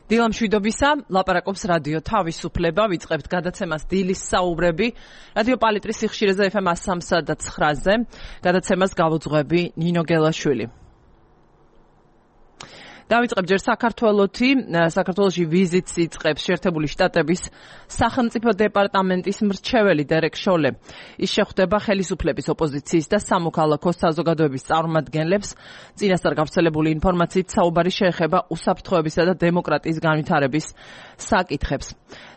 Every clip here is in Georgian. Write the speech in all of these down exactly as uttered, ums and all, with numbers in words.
დილამ შვიდობისა, ლაპარაკობს რადიო თავისუფლება, ვიწყებთ გადაცემას დილის საუბრები, რადიო პალიტრის სიხშირეზე ეფ ემ სამსა და ცხრაზე, გადაცემას გავუძღვები ნინო გელაშვილი. დავიწყებ ჯერ საქართველოთი, საქართველოში ვიზიტს იწყებს შეერთებული შტატების სახელმწიფო დეპარტამენტის მრჩეველი დერეკ შოლე. ის შეხვდება ხელისუფლების, ოპოზიციის და სამოქალაქო საზოგადოების წარმომადგენლებს. წინასწარ გავრცელებული ინფორმაციით საუბარი შეეხება უსაფრთხოებისა და დემოკრატიის განვითარების საკითხებს.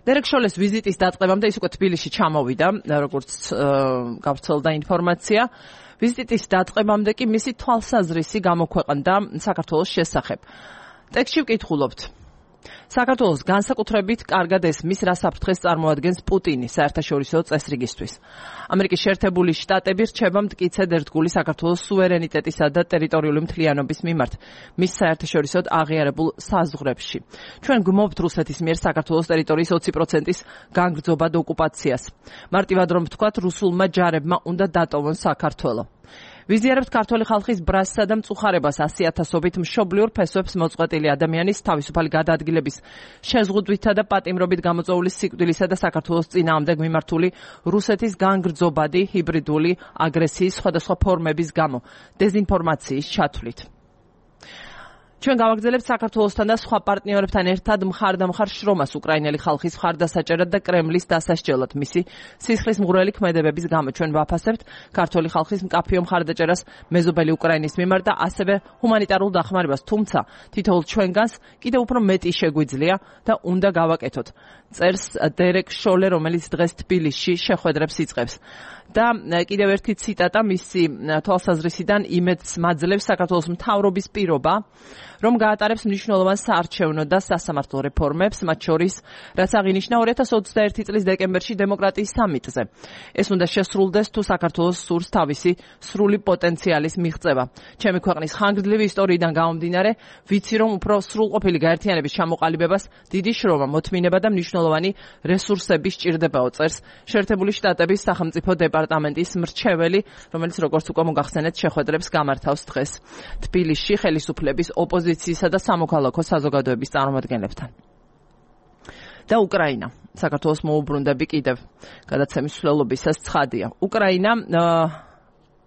დერეკ შოლეს ვიზიტის დაწყებამდე ის უკვე თბილისში ჩამოვიდა, როგორც გავრცელდა ინფორმაცია. ვიზიტის დაწყებამდე კი მისი თვალსაზრისი გამოქვეყნდა საქართველოს შესახებ. ტექსტში ვკითხულობთ. საქართველოს განსაკუთრებით კარგად ესმის, რა საფრთხეს წარმოადგენს პუტინი საერთაშორისო წესრიგისთვის. ამერიკის შეერთებული შტატები რჩება მტკიცედ ერთგული საქართველოს სუვერენიტეტისა და ტერიტორიული მთლიანობის მიმართ მის საერთაშორისო აღიარებულ საზღვრებში. ჩვენ გვმოვთ რუსეთის მიერ საქართველოს ტერიტორიის ოცი პროცენტის განგრძობა და ოკუპაციას. მარტივად რომ ვთქვათ, რუსულმა ჯარებმა უნდა დატოვონ საქართველო. ვიზიარებთ ქართული ხალხის ბრასსა და მწუხარებას ასი ათასობით მშობლიურ ფესვებს მოწყვეტილი ადამიანის თავისუფალი გადაადგილების შეზღუდვითა და პატიმრობით გამოწვეული სიკვდილისა და საქართველოს წინააღმდეგ მიმართული რუსეთის განგრძობადი ჰიბრიდული აგრესიის სხვადასხვა ფორმების გამო დეზინფორმაციის ჩათვლით. ჩვენ გავაგრძელებთ საქართველოსთან და სხვა პარტნიორებთან ერთად მხარდამხარ შრომას უკრაინელი ხალხის მხარდასაჭერად და კრემლის დასასჯელად მისი სისხლის მღვრელი ქმედებების გამო. ჩვენ ვაფასებთ ქართული ხალხის მკაფიო მხარდაჭერას მეზობელი უკრაინის მიმართ და ასევე ჰუმანიტარულ დახმარებას, თუმცა თითოეულ ჩვენგანს კიდევ უფრო მეტი შეგვიძლია და უნდა გავაკეთოთ. წერს დერეკ შოლე, რომელიც დღეს თბილისში შეხვედრებს იწყებს. და კიდევ ერთი ციტატა მისი თვალსაზრისიდან იმედს მაძლევს საქართველოს მთავრობის პირობა, რომ გაატარებს მნიშვნელოვან საარჩევნო და სასამართლო რეფორმებს, მათ შორის, რაც აღინიშნა ორი ათას ოცდაერთი წლის დეკემბერში დემოკრატიის სამიტზე. ეს უნდა შესრულდეს თუ საქართველოს სურს თავისი სრული პოტენციალის მიღწევა. ჩემი ქვეყნის ხანგრძლივი ისტორიიდან გამომდინარე, ვიცი რომ უფრო სრულყოფილი გაერთიანების ჩამოყალიბებას დიდი შრომა, მოთმინება და მნიშვნელოვანი რესურსები სჭირდებაო, წერს შეერთებული შტატების სახელმწიფო დეპარტამენტის მრჩეველი, რომელიც როგორც უკვე მოგახსენეთ, შეხვედრებს გამართავს დღეს თბილისში ხელისუფლების, ოპოზიციისა და სამოქალაქო საზოგადოების წარმომადგენლებთან. და უკრაინა. საქართველოს მოუბრუნდები კიდევ გადაცემის მსვლელობისას ცხადია. უკრაინა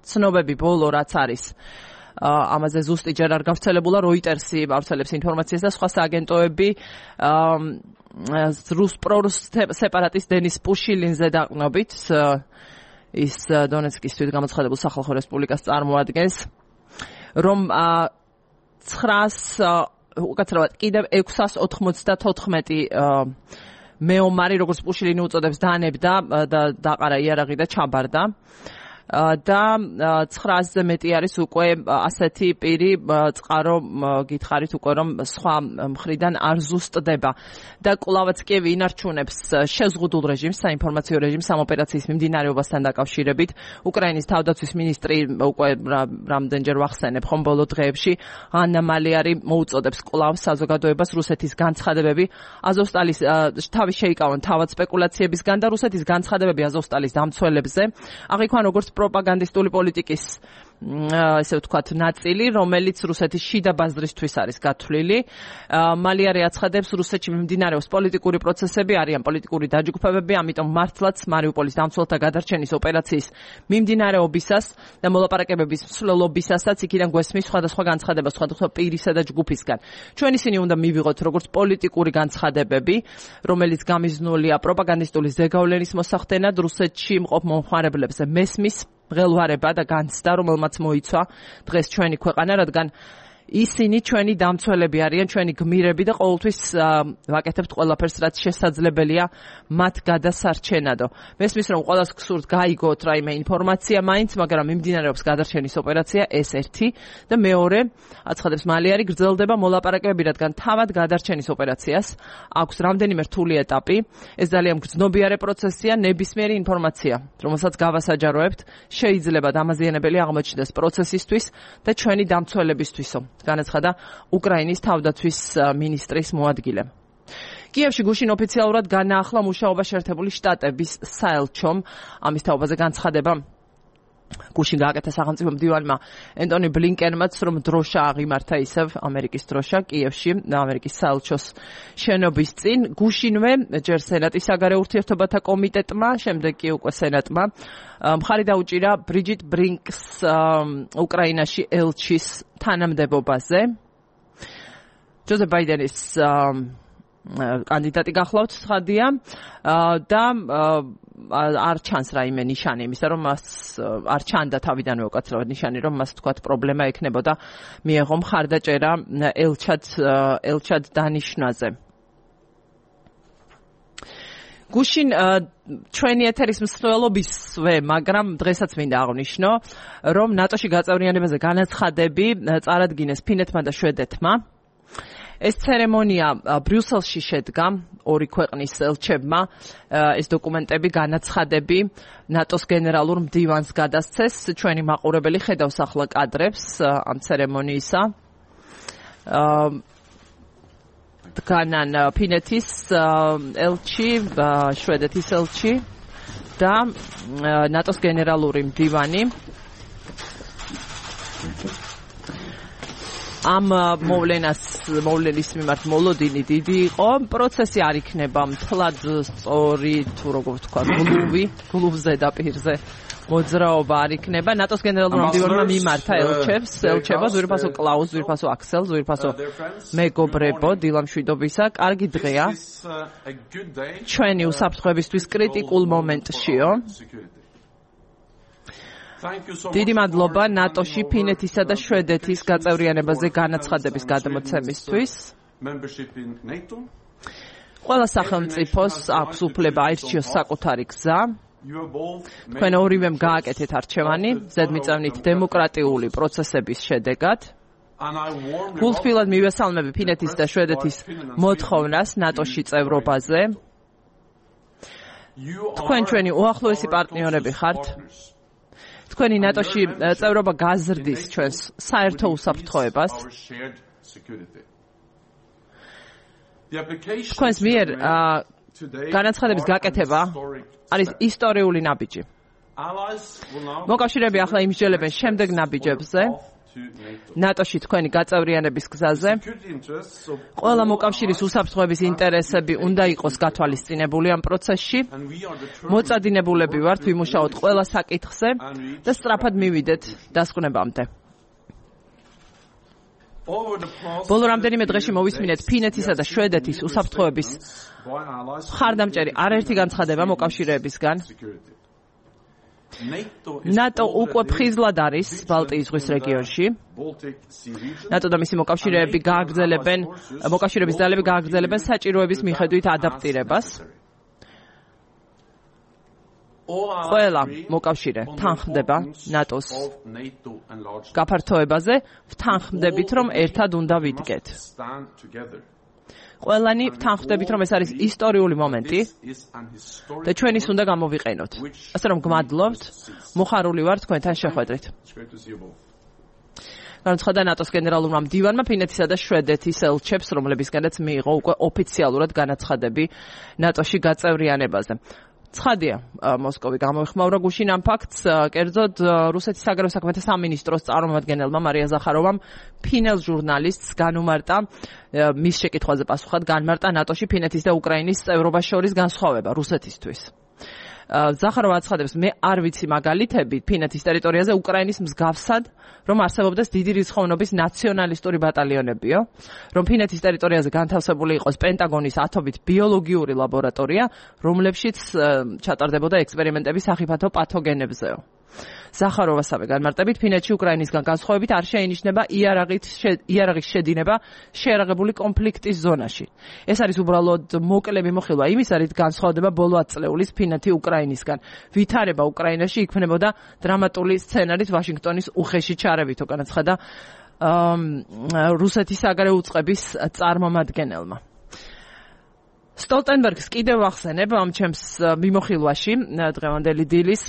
ცნობები ბოლო რაც არის ამაზე ზუსტი ჯერ არ გავრცელებულა, როიტერსი გავრცელებს ინფორმაციას და სხვა სააგენტოები რუს პრორუს სეპარატისტ დენის პუშილინზე დაყრდნობით, ის დონეცკის თვითგამოცხადებულ სახალხო რესპუბლიკას წარმოადგენს, რომ ცხრას უკაცრავად კიდევ ექვსას ოთხმოცდათოთხმეტი მეომარი, როგორც პუშილინი უწოდებს, დანებდა და დაყარა იარაღი და ჩაბარდა. და ცხრასზე მეტი არის უკვე ასეთი პირი, წყარო გითხარით უკვე რომ სხვა მხრიდან არ ზუსტდება. და კვლავაც კიევი ინარჩუნებს შეზღუდულ რეჟიმს, საინფორმაციო რეჟიმს ამ ოპერაციის მიმდინარეობასთან დაკავშირებით. უკრაინის თავდაცვის მინისტრი უკვე რამდენჯერ ვახსენებ ხომ ბოლო დღეებში ანა მალიარი მოუწოდებს კვლავ საზოგადოებას რუსეთის განცხადებები აზოვსტალის თავის შეიკავონ თავად სპეკულაციებისგან და რუსეთის განცხადებები აზოვსტალის დამცველებზე აღიქვან როგორც პროპაგანდისტული პოლიტიკის ესე ვთქვათ ნაწილი, რომელიც რუსეთის შიდა ბაზრისთვის არის გათვლილი. მალიარი აცხადებს, რუსეთში მიმდინარეობს პოლიტიკური პროცესები, არიან პოლიტიკური დაჯგუფებები, ამიტომ მართლაც მარიუპოლის დამცველთა გადარჩენის ოპერაციის მიმდინარეობისას და მოლაპარაკებების მსვლელობისასაც იქიდან გვესმის სხვადასხვა განცხადება სხვადასხვა პირისა და ჯგუფისგან. ჩვენ ისინი უნდა მივიღოთ როგორც პოლიტიკური განცხადებები, რომელიც გამიზნულია პროპაგანდისტული ზეგავლენის მოსახდენად რუსეთში მყოფ მომხმარებლებზე მესმის მღელვარება და განცდა, რომელმაც მოიცვა დღეს ჩვენი ქვეყანა, რადგან ისინი ჩვენი დამცველები არიან, ჩვენი გმირები და ყოველთვის ვაკეთებთ ყველაფერს, რაც შესაძლებელია მათ გადასარჩენადო. მესმის რომ ყველას გსურთ გაიგოთ რაიმე ინფორმაცია მაინც, მაგრამ მიმდინარეობს გადარჩენის ოპერაცია, ეს ერთი და მეორე, აცხადებს მალიარი, გრძელდება მოლაპარაკებები, რადგან თავად გადარჩენის ოპერაციას აქვს რამდენიმე რთული ეტაპი. ეს ძალიან გრძნობიარე პროცესია, ნებისმიერი ინფორმაცია, რომელსაც გავასაჯაროებთ, შეიძლება დამაზიანებელი აღმოჩნდეს პროცესისთვის და ჩვენი დამცველებისთვისო. განაცხადა უკრაინის თავდაცვის მინისტრის მოადგილემ. კიევში გუშინ ოფიციალურად განაახლა მუშაობა შეერთებული შტატების საელჩომ. ამის თაობაზე განცხადება გუშინ გააკეთა სახელმწიფო მდივანმა ენტონი ბლინკენმაც, რომ დროშა აღიმართა ისევ ამერიკის დროშა კიევში, ამერიკის საელჩოს შენობის წინ. გუშინვე ჯერ სენატის საგარეო ურთიერთობათა კომიტეტმა, შემდეგ კი უკვე სენატმა მხარი დაუჭირა ბრიჯიტ ბრინკს უკრაინაში ელჩის თანამდებობაზე. ჯოზეფ ბაიდენის კანდიდატი გახლავთ ცხადია და არ ჩანს რაიმე ნიშანი იმისა, რომ მას არ ჩანდა თავიდანვე უკაცრავად ნიშანი, რომ მას თქვათ პრობლემა ექნებოდა მიეღო მხარდაჭერა ელჩად ელჩად დანიშნაზე. გუშინ ჩვენი ეთერის მსვლელობისვე, მაგრამ დღესაც მინდა აღვნიშნო, რომ ნატოში გაწევრიანებაზე განაცხადები წარადგინეს ფინეთმა და შვედეთმა. ეს ცერემონია ბრიუსელში შედგა, ორი ქვეყნის ელჩებმა ეს დოკუმენტები, განაცხადები ნატოს გენერალურ მდივანს გადასცეს. ჩვენი მაყურებელი ხედავს ახლა კადრებს ამ ცერემონიისა. დგანან ფინეთის ელჩი, შვედეთის ელჩი და ნატოს გენერალური მდივანი. ამ მოვლენას მოვლენის მიმართ მოლოდინი დიდი იყო. პროცესი არ იქნება მთლად სწორი, თუ როგორ ვთქვა, გლუვი, გლუვ ზედაპირზე მოძრაობა არ იქნება. ნატოს გენერალურმა მდივანმა მიმართა ელჩებს, ელჩება ზვირფასო კლაუს, ზვირფასო აქსელ, ზვირფასო მეგობრებო, დილამშვიდობისა. კარგი დღეა. ჩვენი უსაფრთხოებისთვის კრიტიკულ მომენტშიო. დიდი მადლობა ნატოში ფინეთისა და შვედეთის გაწევრიანებაზე განაცხადების გადმოცემისთვის. ყველა სახელმწიფოს აქვს უფლება აირჩიოს საკუთარი გზა. თქვენ ორივემ გააკეთეთ არჩევანი ზედმიწევნით დემოკრატიული პროცესების შედეგად. გულთბილად მივესალმები ფინეთის და შვედეთის მოთხოვნას ნატოში წევრობაზე. თქვენ ჩვენი უახლოესი პარტნიორები ხართ. თქვენი ნატოში წევრობა გაზრდის ჩვენს საერთო უსაფრთხოებას. თქვენს მიერ განაცხადების გაკეთება არის ისტორიული ნაბიჯი. მოკავშირეები ახლა იმსჯელებენ შემდეგ ნაბიჯებზე. ნატოში თქვენი გაწევრიანების გზაზე. ყველა მოკავშირის უსაფრთხოების ინტერესები უნდა იყოს გათვალისწინებული ამ პროცესში. მოწადინებულები ვართ ვიმუშაოთ ყველა საკითხზე და სწრაფად მივიდეთ დასკვნებამდე. ბოლო რამდენიმე დღეში მოვისმინეთ ფინეთისა და შვედეთის უსაფრთხოების მხარდამჭერი არაერთი განცხადება მოკავშირეებისგან. ნატო უკვე ფხიზლად არის ბალტიის ზღვის რეგიონში. ნატო და მისი მოკავშირეები გააგრძელებენ, მოკავშირეების ძალები გააგრძელებენ საჭიროების მიხედვით ადაპტირებას. ყველა მოკავშირე თანხმდება ნატოს გაფართოებაზე, ვთანხმდებით, რომ ერთად უნდა ვიდგეთ. ყველანი ვთანხმდებით, რომ ეს არის ისტორიული მომენტი და ჩვენ ის უნდა გამოვიყენოთ. ასე რომ გმადლობთ, მოხარული ვარ თქვენთან შეხვედრით. განაცხადა ნატოს გენერალურმა მდივანმა ფინეთისა და შვედეთის ელჩებს, რომლებისგანაც მიიღო უკვე ოფიციალურად განაცხადები ნატოში გაწევრიანებაზე. ცხადია, მოსკოვი გამოიხმაურა გუშინ ამ ფაქტს, კერძოდ რუსეთის საგარეო საქმეთა სამინისტროს წარმომადგენელმა მარია ზახაროვამ ფინელ ჟურნალისტს განუმარტა მის შეკითხვაზე პასუხად განმარტა ნატოში ფინეთის და უკრაინის წევრობას შორის განსხვავება რუსეთისთვის. ზახაროვა აცხადებს, მე არ ვიცი მაგალითები ფინეთის ტერიტორიაზე უკრაინის მსგავსად, რომ არსებობდეს დიდი რიცხოვნობის ნაციონალისტური ბატალიონებიო, რომ ფინეთის ტერიტორიაზე განთავსებული იყოს პენტაგონის ათობით ბიოლოგიური ლაბორატორია, რომლებშიც ჩატარდებოდა ექსპერიმენტები სახიფათო პათოგენებზეო. ზახაროვასავე განმარტებით ფინეთში უკრაინისგან განსხვავებით არ შეინიშნება იარაღის შედინება შეიარაღებული კონფლიქტის ზონაში. ეს არის უბრალოდ მოკლე მიმოხილვა იმისა, რით განსხვავდება ბოლო ათ წლეულის ფინეთი უკრაინისგან. ვითარება უკრაინაში იქმნებოდა დრამატული სცენარით ვაშინგტონის უხეში ჩარევითო, განაცხადა რუსეთის საგარეო უწყების წარმომადგენელმა. სტოლტენბერგს კიდევ ვახსენებ ამ ჩემს მიმოხილვაში დღევანდელი დილის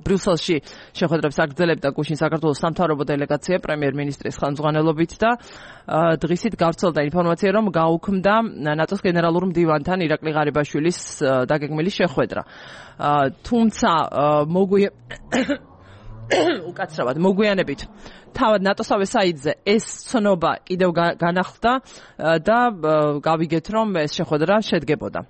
ბრიუსელში შეხვედრებს აგრძელებდა გუშინ საქართველოს სამთავრობო დელეგაცია პრემიერ-მინისტრის ხელმძღვანელობით და დღისით გავრცელდა ინფორმაცია, რომ გაუქმდა ნატოს გენერალურ მდივანთან ირაკლი ღარიბაშვილის დაგეგმილი შეხვედრა. თუმცა მოგვია უკაცრავად მოგვიანებით თავად ნატოსავე საიტზე ეს ცნობა კიდევ განახლდა და გავიგეთ, რომ ეს შეხვედრა შედგებოდა.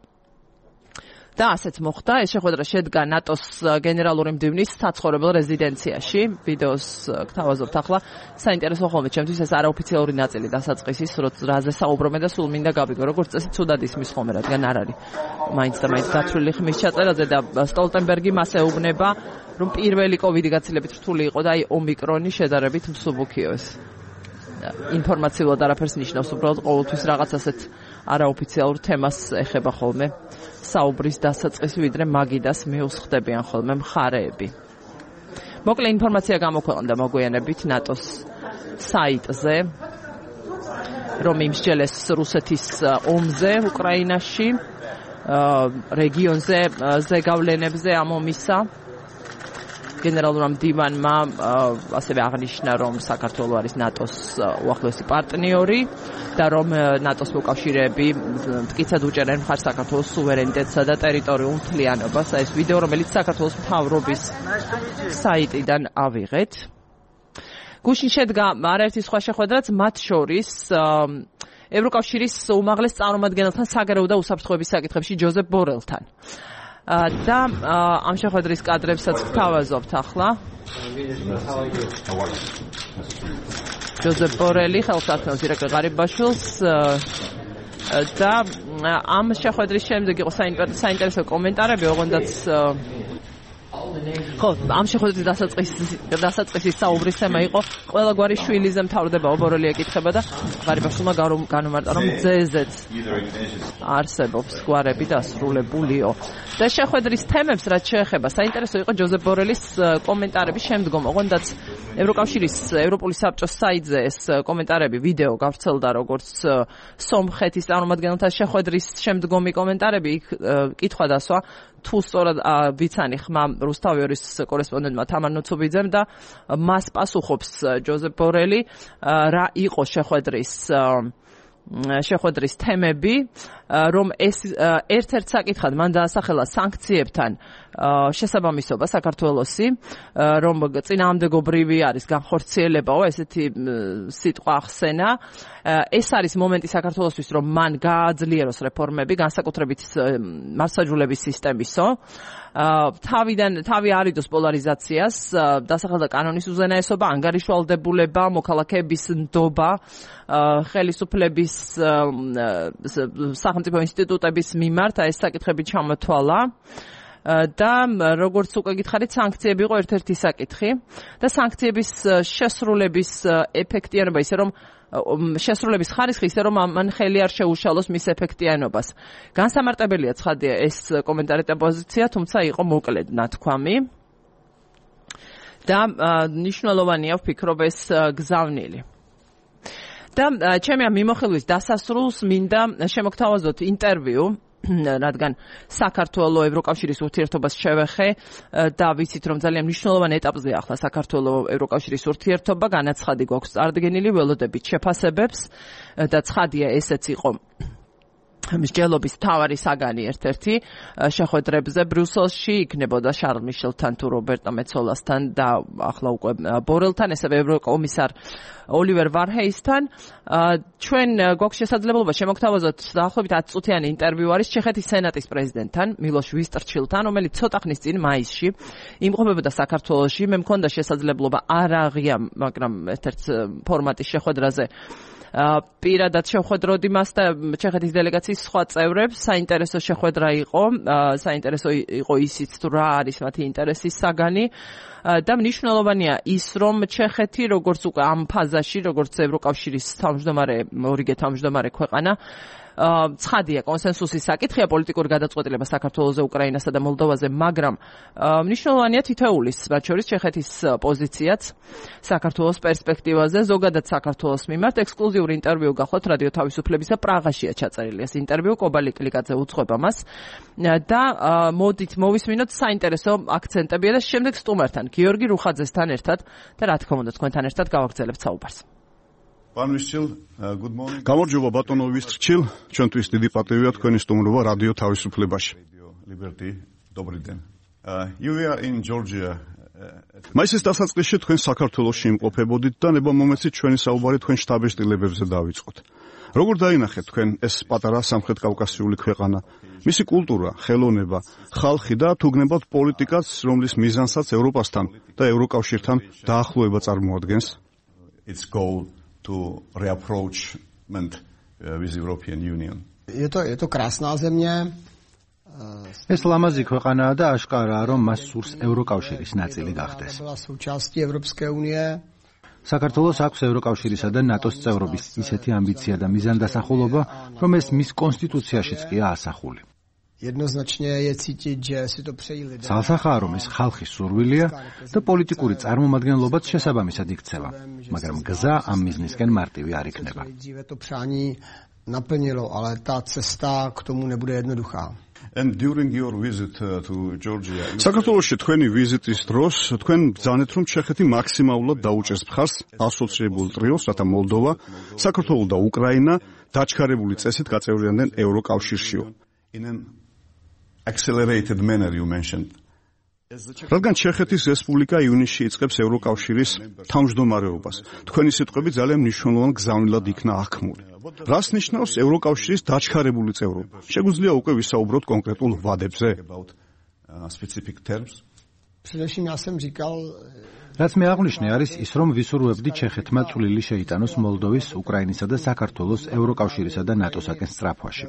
და ასეც მოხდა, ეს შეხვედრა შედგა ნატოს გენერალური მდივნის საცხოვრებელ რეზიდენციაში. ვიდეოს გთავაზობთ ახლა. საინტერესო ხოლმე ჩემთვის ეს არაოფიციალური ნაწილი დასაწყისის, რაზე საუბრობენ და სულ მინდა გავიგო, როგორც წესი ცუდად ისმის ხოლმე, რადგან არ არის მაინც და მაინც გათვლილი ხმის ჩაწერაზე და სტოლტენბერგი მას ეუბნება, რომ პირველი კოვიდი გაცილებით რთული იყო და აი ომიკრონი შედარებით მსუბუქიო ეს. ინფორმაციულად არაფერს ნიშნავს, უბრალოდ ყოველთვის რაღაც ასეთ არაოფიციალურ თემას ეხება ხოლმე საუბრის დასაწყისი, ვიდრე მაგიდას მიუსხდებიან ხოლმე მხარეები. მოკლე ინფორმაცია გამოქვეყნდა მოგვიანებით ნატოს საიტზე, რომ იმსჯელეს რუსეთის ომზე უკრაინაში, რეგიონზე ზეგავლენებზე ამ ომისა. გენერალურმა მდივანმა ასევე აღნიშნა, რომ საქართველო არის ნატოს უახლოესი პარტნიორი და რომ ნატოს მოკავშირეები მტკიცად უჭერენ მხარს საქართველოს სუვერენიტეტსა და ტერიტორიულ მთლიანობას. ეს ვიდეო, რომელიც საქართველოს მთავრობის საიტიდან ავიღეთ. გუშინ შედგა არაერთი სხვა შეხვედრაც, მათ შორის ევროკავშირის უმაღლეს წარმომადგენელთან საგარეო და უსაფრთხოების საკითხებში ჯოზეფ ბორელთან. და ამ შეხვედრის კადრებსაც გთავაზობთ ახლა. ჯოზეფ ბორელი ხელსაქმეოს ირაკლი ღარიბაშვილს და ამ შეხვედრის შემდეგ იყო საინტერესო კომენტარები, ოღონდაც ხო, ამ შეხვედრის დასაწყისის საუბრის თემა იყო ყველა გვარი შვილიზე მთავრდება, ბორელი ეკითხება და ღარიბაშვილმა განუმარტა, რომ ძეზეც არსებობს გვარები დასრულებულიო. და შეხვედრის თემებს რაც შეეხება, საინტერესო იყო ჯოზეფ ბორელის კომენტარები შემდგომ, ოღონდაც ევროკავშირის ევროპული საბჭოს საიტზე ეს კომენტარები ვიდეო გავრცელდა, როგორც სომხეთის წარმომადგენელთა შეხვედრის შემდგომი კომენტარები, იქ კითხვა დასვა თუ სწორად ვიცანი ხმა რუსთავიორის კორესპონდენტმა თამარ ნუცუბიძემ და მას პასუხობს ჯოზეფ ბორელი, რა იყო შეხვედრის შეხვედრის თემები, რომ ეს ერთ-ერთ საკითხად მან დაასახელა სანქციებთან შესაბამისობა საქართველოსი, რომ წინააღმდეგობრივი არის განხორციელებაო, ესეთი სიტყვა ახსენა. ეს არის მომენტი საქართველოსთვის, რომ მან გააძლიეროს რეფორმები, განსაკუთრებით მართლმსაჯულების სისტემისო. თავიდან თავი არიდოს პოლარიზაციას, დასახელდა კანონის უზენაესობა, ანგარიშვალდებულება, მოქალაქეების ნდობა, ხელისუფლების სახელმწიფო ინსტიტუტების მიმართ ეს საკითხები ჩამოთვალა. და როგორც უკვე გითხარით, სანქციები იყო ერთ-ერთი საკითხი და სანქციების შესრულების ეფექტიანობა ისე რომ შესრულების ხარისხი ისე რომ მან ხელი არ შეუშალოს მის ეფექტიანობას. განსამარტებელია ცხადია ეს კომენტარი და პოზიცია, თუმცა იყო მოკლედ ნათქვამი და მნიშვნელოვანია ვფიქრობ ეს გზავნილი. და ჩემი ამ მიმოხილვის დასასრულს მინდა შემოგთავაზოთ ინტერვიუ, რადგან საქართველოს ევროკავშირის ურთიერთობას შევეხე და ვიცით, რომ ძალიან მნიშვნელოვანი ეტაპზეა ახლა საქართველოს ევროკავშირის ურთიერთობა, განაცხადი გვაქვს წარდგენილი, ველოდებით შეფასებებს და ცხადია ესეც იყო მსჯელობის მთავარი საგანი ერთ-ერთი შეხვედრებზე ბრიუსელში, იქნებოდა შარლ მიშელთან თუ რობერტო მეცოლასთან და ახლა უკვე ბორელთან, ესევე ევროკომისარ ოლივერ ვარჰეისთან. ჩვენ გვაქვს შესაძლებლობა შემოგთავაზოთ დაახლოებით ათი წუთიანი ინტერვიუ არის ჩეხეთის სენატის პრეზიდენტთან, მილოშ ვისტრჩილთან, რომელიც ცოტა ხნის წინ მაისში იმყოფებოდა საქართველოში. მე მქონდა შესაძლებლობა არ აღია, მაგრამ ერთ-ერთ ფორმატის შეხვედრაზე პირადად შევხვედროდი მას და ჩეხეთის დელეგაციის სხვა წევრებს. საინტერესო შეხვედრა იყო, საინტერესო იყო ისიც თუ რა არის მათი ინტერესის საგანი და მნიშვნელოვანია ის, რომ ჩეხეთი როგორც უკვე ამ ფაზაში, როგორც ევროკავშირის თავმჯდომარე, ორიგე თავმჯდომარე ქვეყანა, ცხადია კონსენსუსის საკითხია პოლიტიკური გადაწყვეტილება საქართველოზე, უკრაინასა და მოლდოვაზე, მაგრამ მნიშვნელოვანია თითოეულის, მათ შორის ჩეხეთის პოზიციაც საქართველოს პერსპექტივაზე, ზოგადად საქართველოს მიმართ. ექსკლუზიური ინტერვიუ გახლავთ რადიო თავისუფლებისა პრაღაშია ჩაწერილი ეს ინტერვიუ, კობალი კლიკაძე უძღვება მას და მოდით მოვისმინოთ საინტერესო აქცენტებია და შემდეგ სტუმართან გიორგი რუხაძესთან ერთად და რა თქმა უნდა თქვენთან ერთად გავაგრძელებთ საუბარს. Pan Vistchil, good morning. გამარჯობა ბატონო Vistchil, ჩვენთვის დიდი პატივია თქვენი სტუმრობა რადიო თავისუფლებაში. Liberty, добрый день. You are in Georgia. მაისის დასაწყისში თქვენ საქართველოში იმყოფებოდით და ნებამომეცით ჩვენი საუბარი თქვენ შტაბ-შტილებებზე დავიწყოთ. როგორ დაინახეთ თქვენ ეს პატარა სამხრეთ კავკასიული ქვეყანა, მისი კულტურა, ხელოვნება, ხალხი და თუ გნებავთ პოლიტიკაც, რომლის მიზანსაც ევროპასთან და ევროკავშირთან დაახლოება წარმოადგენს? Its goal to reapproachment with the European Union. Je to, je to krásná země. ეს ლამაზი ქვეყანაა და აშკარაა, რომ მას სურს ევროკავშირის ნაწილი გახდეს. საქართველოს აქვს ევროკავშირისა და ნატოს წევრობის ისეთი ამბიცია და მიზანდასახულობა, რომ ეს მის კონსტიტუციაშიც ყია ასახული. Ძალსახაა, რომ ეს ხალხის სურვილია და პოლიტიკური წარმომადგენლობაც შესაბამისად იქცევა, მაგრამ გზა ამ მიზნისკენ მარტივი არ იქნება. And during your visit uh, to Georgia, საქართველოში თქვენი ვიზიტის დროს თქვენ ბრძანეთ, რომ ჩეხეთი მაქსიმალურად დაუჭერს მხარს ასოციებულ ტრიოს, რათა მოლდოვა, საქართველო და უკრაინა დაჩქარებული წესით გაწევრიანდნენ ევროკავშირშიო. In an accelerated manner you mentioned. რადგან ჩეხეთის რესპუბლიკა ივნისში იწყებს ევროკავშირის თავმჯდომარეობას, თქვენი სიტყვები ძალიან მნიშვნელოვან გზავნილად იქნა აღქმული. რას ნიშნავს ევროკავშირის დაჩქარებული წევრობა? შეგვიძლია უკვე ვისაუბროთ კონკრეტულ ვადებზე? რაც მე აღვნიშნე არის ის, რომ ვისურვებდი ჩეხეთმა წვლილი შეიტანოს მოლდოვის, უკრაინისა და საქართველოს ევროკავშირისა და ნატოსაკენ სწრაფვაში.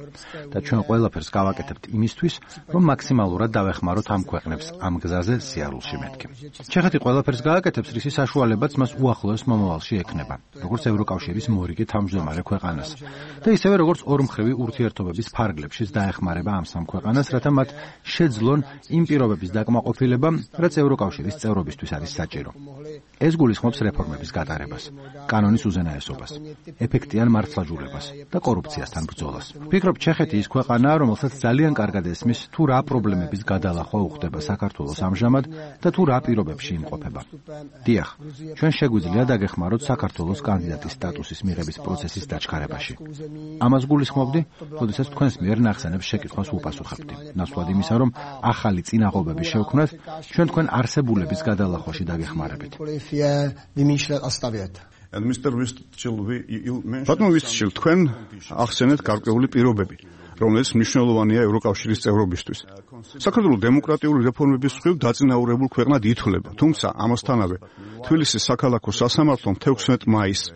და ჩვენ ყველაფერს გავაკეთებთ იმისთვის, რომ მაქსიმალურად დავეხმაროთ ამ ქვეყნებს ამ გზაზე სიარულში მეთქი. ჩეხეთი ყველაფერს გააკეთებს, რის საშუალებაც მას უახლოეს მომავალში ექნება, როგორც ევროკავშირის მორიგი თავმჯდომარე ქვეყანას. და ისევე როგორც ორმხრივი ურთიერთობების ფარგლებშიც დაეხმარება ამ სამ ქვეყანას, რათა მათ შეძლონ იმ პირობების დაკმაყოფილება, რაც ევროკავშირის წევრობისთვის არის საჭირო. ეს გულისხმობს რეფორმების გატარებას, კანონის უზენაესობას, ეფექტიან მართლმსაჯულებას და კორუფციასთან ბრძოლას. ვფიქრობ, ჩეხეთი ის ქვეყანაა, რომელსაც ძალიან კარგად ესმის თუ რა პრობლემების გადალახვა უხდება საქართველოს ამჟამად და თუ რა პირობებში იმყოფება. დიახ, ჩვენ შეგვიძლია დაგეხმაროთ საქართველოს კანდიდატის სტატუსის მიღების პროცესის დაჩქარებაში. ამას გულისხმობდი, როდესაც თქვენს მიერ ნახსენებს შეკითხვას ვუპასუხებდი. ნაცვლად იმისა, რომ ახალი წინაღობები შევქმნათ, ჩვენ თქვენ არსებულების გადალახვაში დაგეხმარებით. And Mister Vistchil, you mentioned ბატონო Vistchil, თქვენ ახსენეთ გარკვეული პირობები, რომელიც მნიშვნელოვანია ევროკავშირის წევრობისთვის. საქართველო დემოკრატიული რეფორმების მხრივ დაწინაურებულ ქვეყნად ითვლება, თუმცა ამასთანავე თბილისის საქალაქო სასამართლომ თექვსმეტ მაისს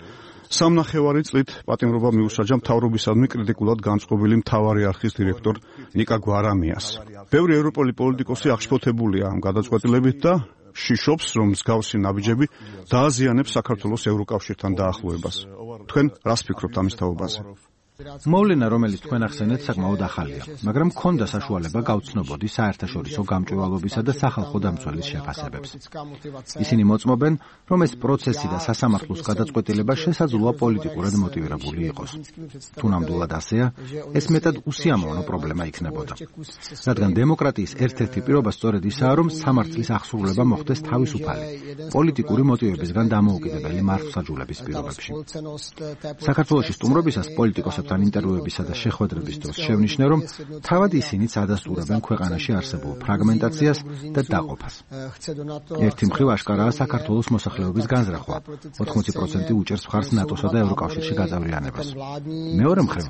სამნახევარი წლით პატიმრობა მიუსაჯა მთავრობისადმი კრიტიკულად განწყობილი მთავარი არხის დირექტორ ნიკა გვარამიას. ბევრი ევროპული პოლიტიკოსი აღშფოთებულია ამ გადაწყვეტილებით და შიშობს, რომ მსგავსი ნაბიჯები დააზიანებს საქართველოს ევროკავშირთან დაახლოებას. თქვენ რას ფიქრობთ ამის თაობაზე? მოვლენა, რომელიც თქვენ ახსენეთ, საკმაოდ ახალია, მაგრამ მქონდა საშუალება გავცნობოდი საერთაშორისო გამჭვირვალობისა და სახალხო დამცველის შეფასებებს. ისინი მოწმობენ, რომ ეს პროცესი და სასამართლოს გადაწყვეტილება შესაძლოა პოლიტიკურად მოტივირებული იყოს. თუ ნამდვილად ასეა, ეს მეტად უსიამოვნო პრობლემა იქნებოდა. რადგან დემოკრატიის ერთ-ერთი პირობა სწორედ ისაა, რომ სამართლის აღსრულება მოხდეს თავისუფალი, პოლიტიკური მოტივებისგან დამოუკიდებელი მართლმსაჯულების პირობებში. საქართველოში სტუმრობისას პოლიტიკოსებთან ინტერვიუებისა და შეხვედრების დროს შევნიშნე, რომ თავად ისინიც ადასტურებენ ქვეყანაში არსებულ ფრაგმენტაციას და დაყოფას. ერთი მხრივ აშკარაა საქართველოს მოსახლეობის განზრახვა, ოთხმოცი პროცენტი უჭერს მხარს ნატოსა და ევროკავშირში გაწევრიანებას. მეორე მხრივ,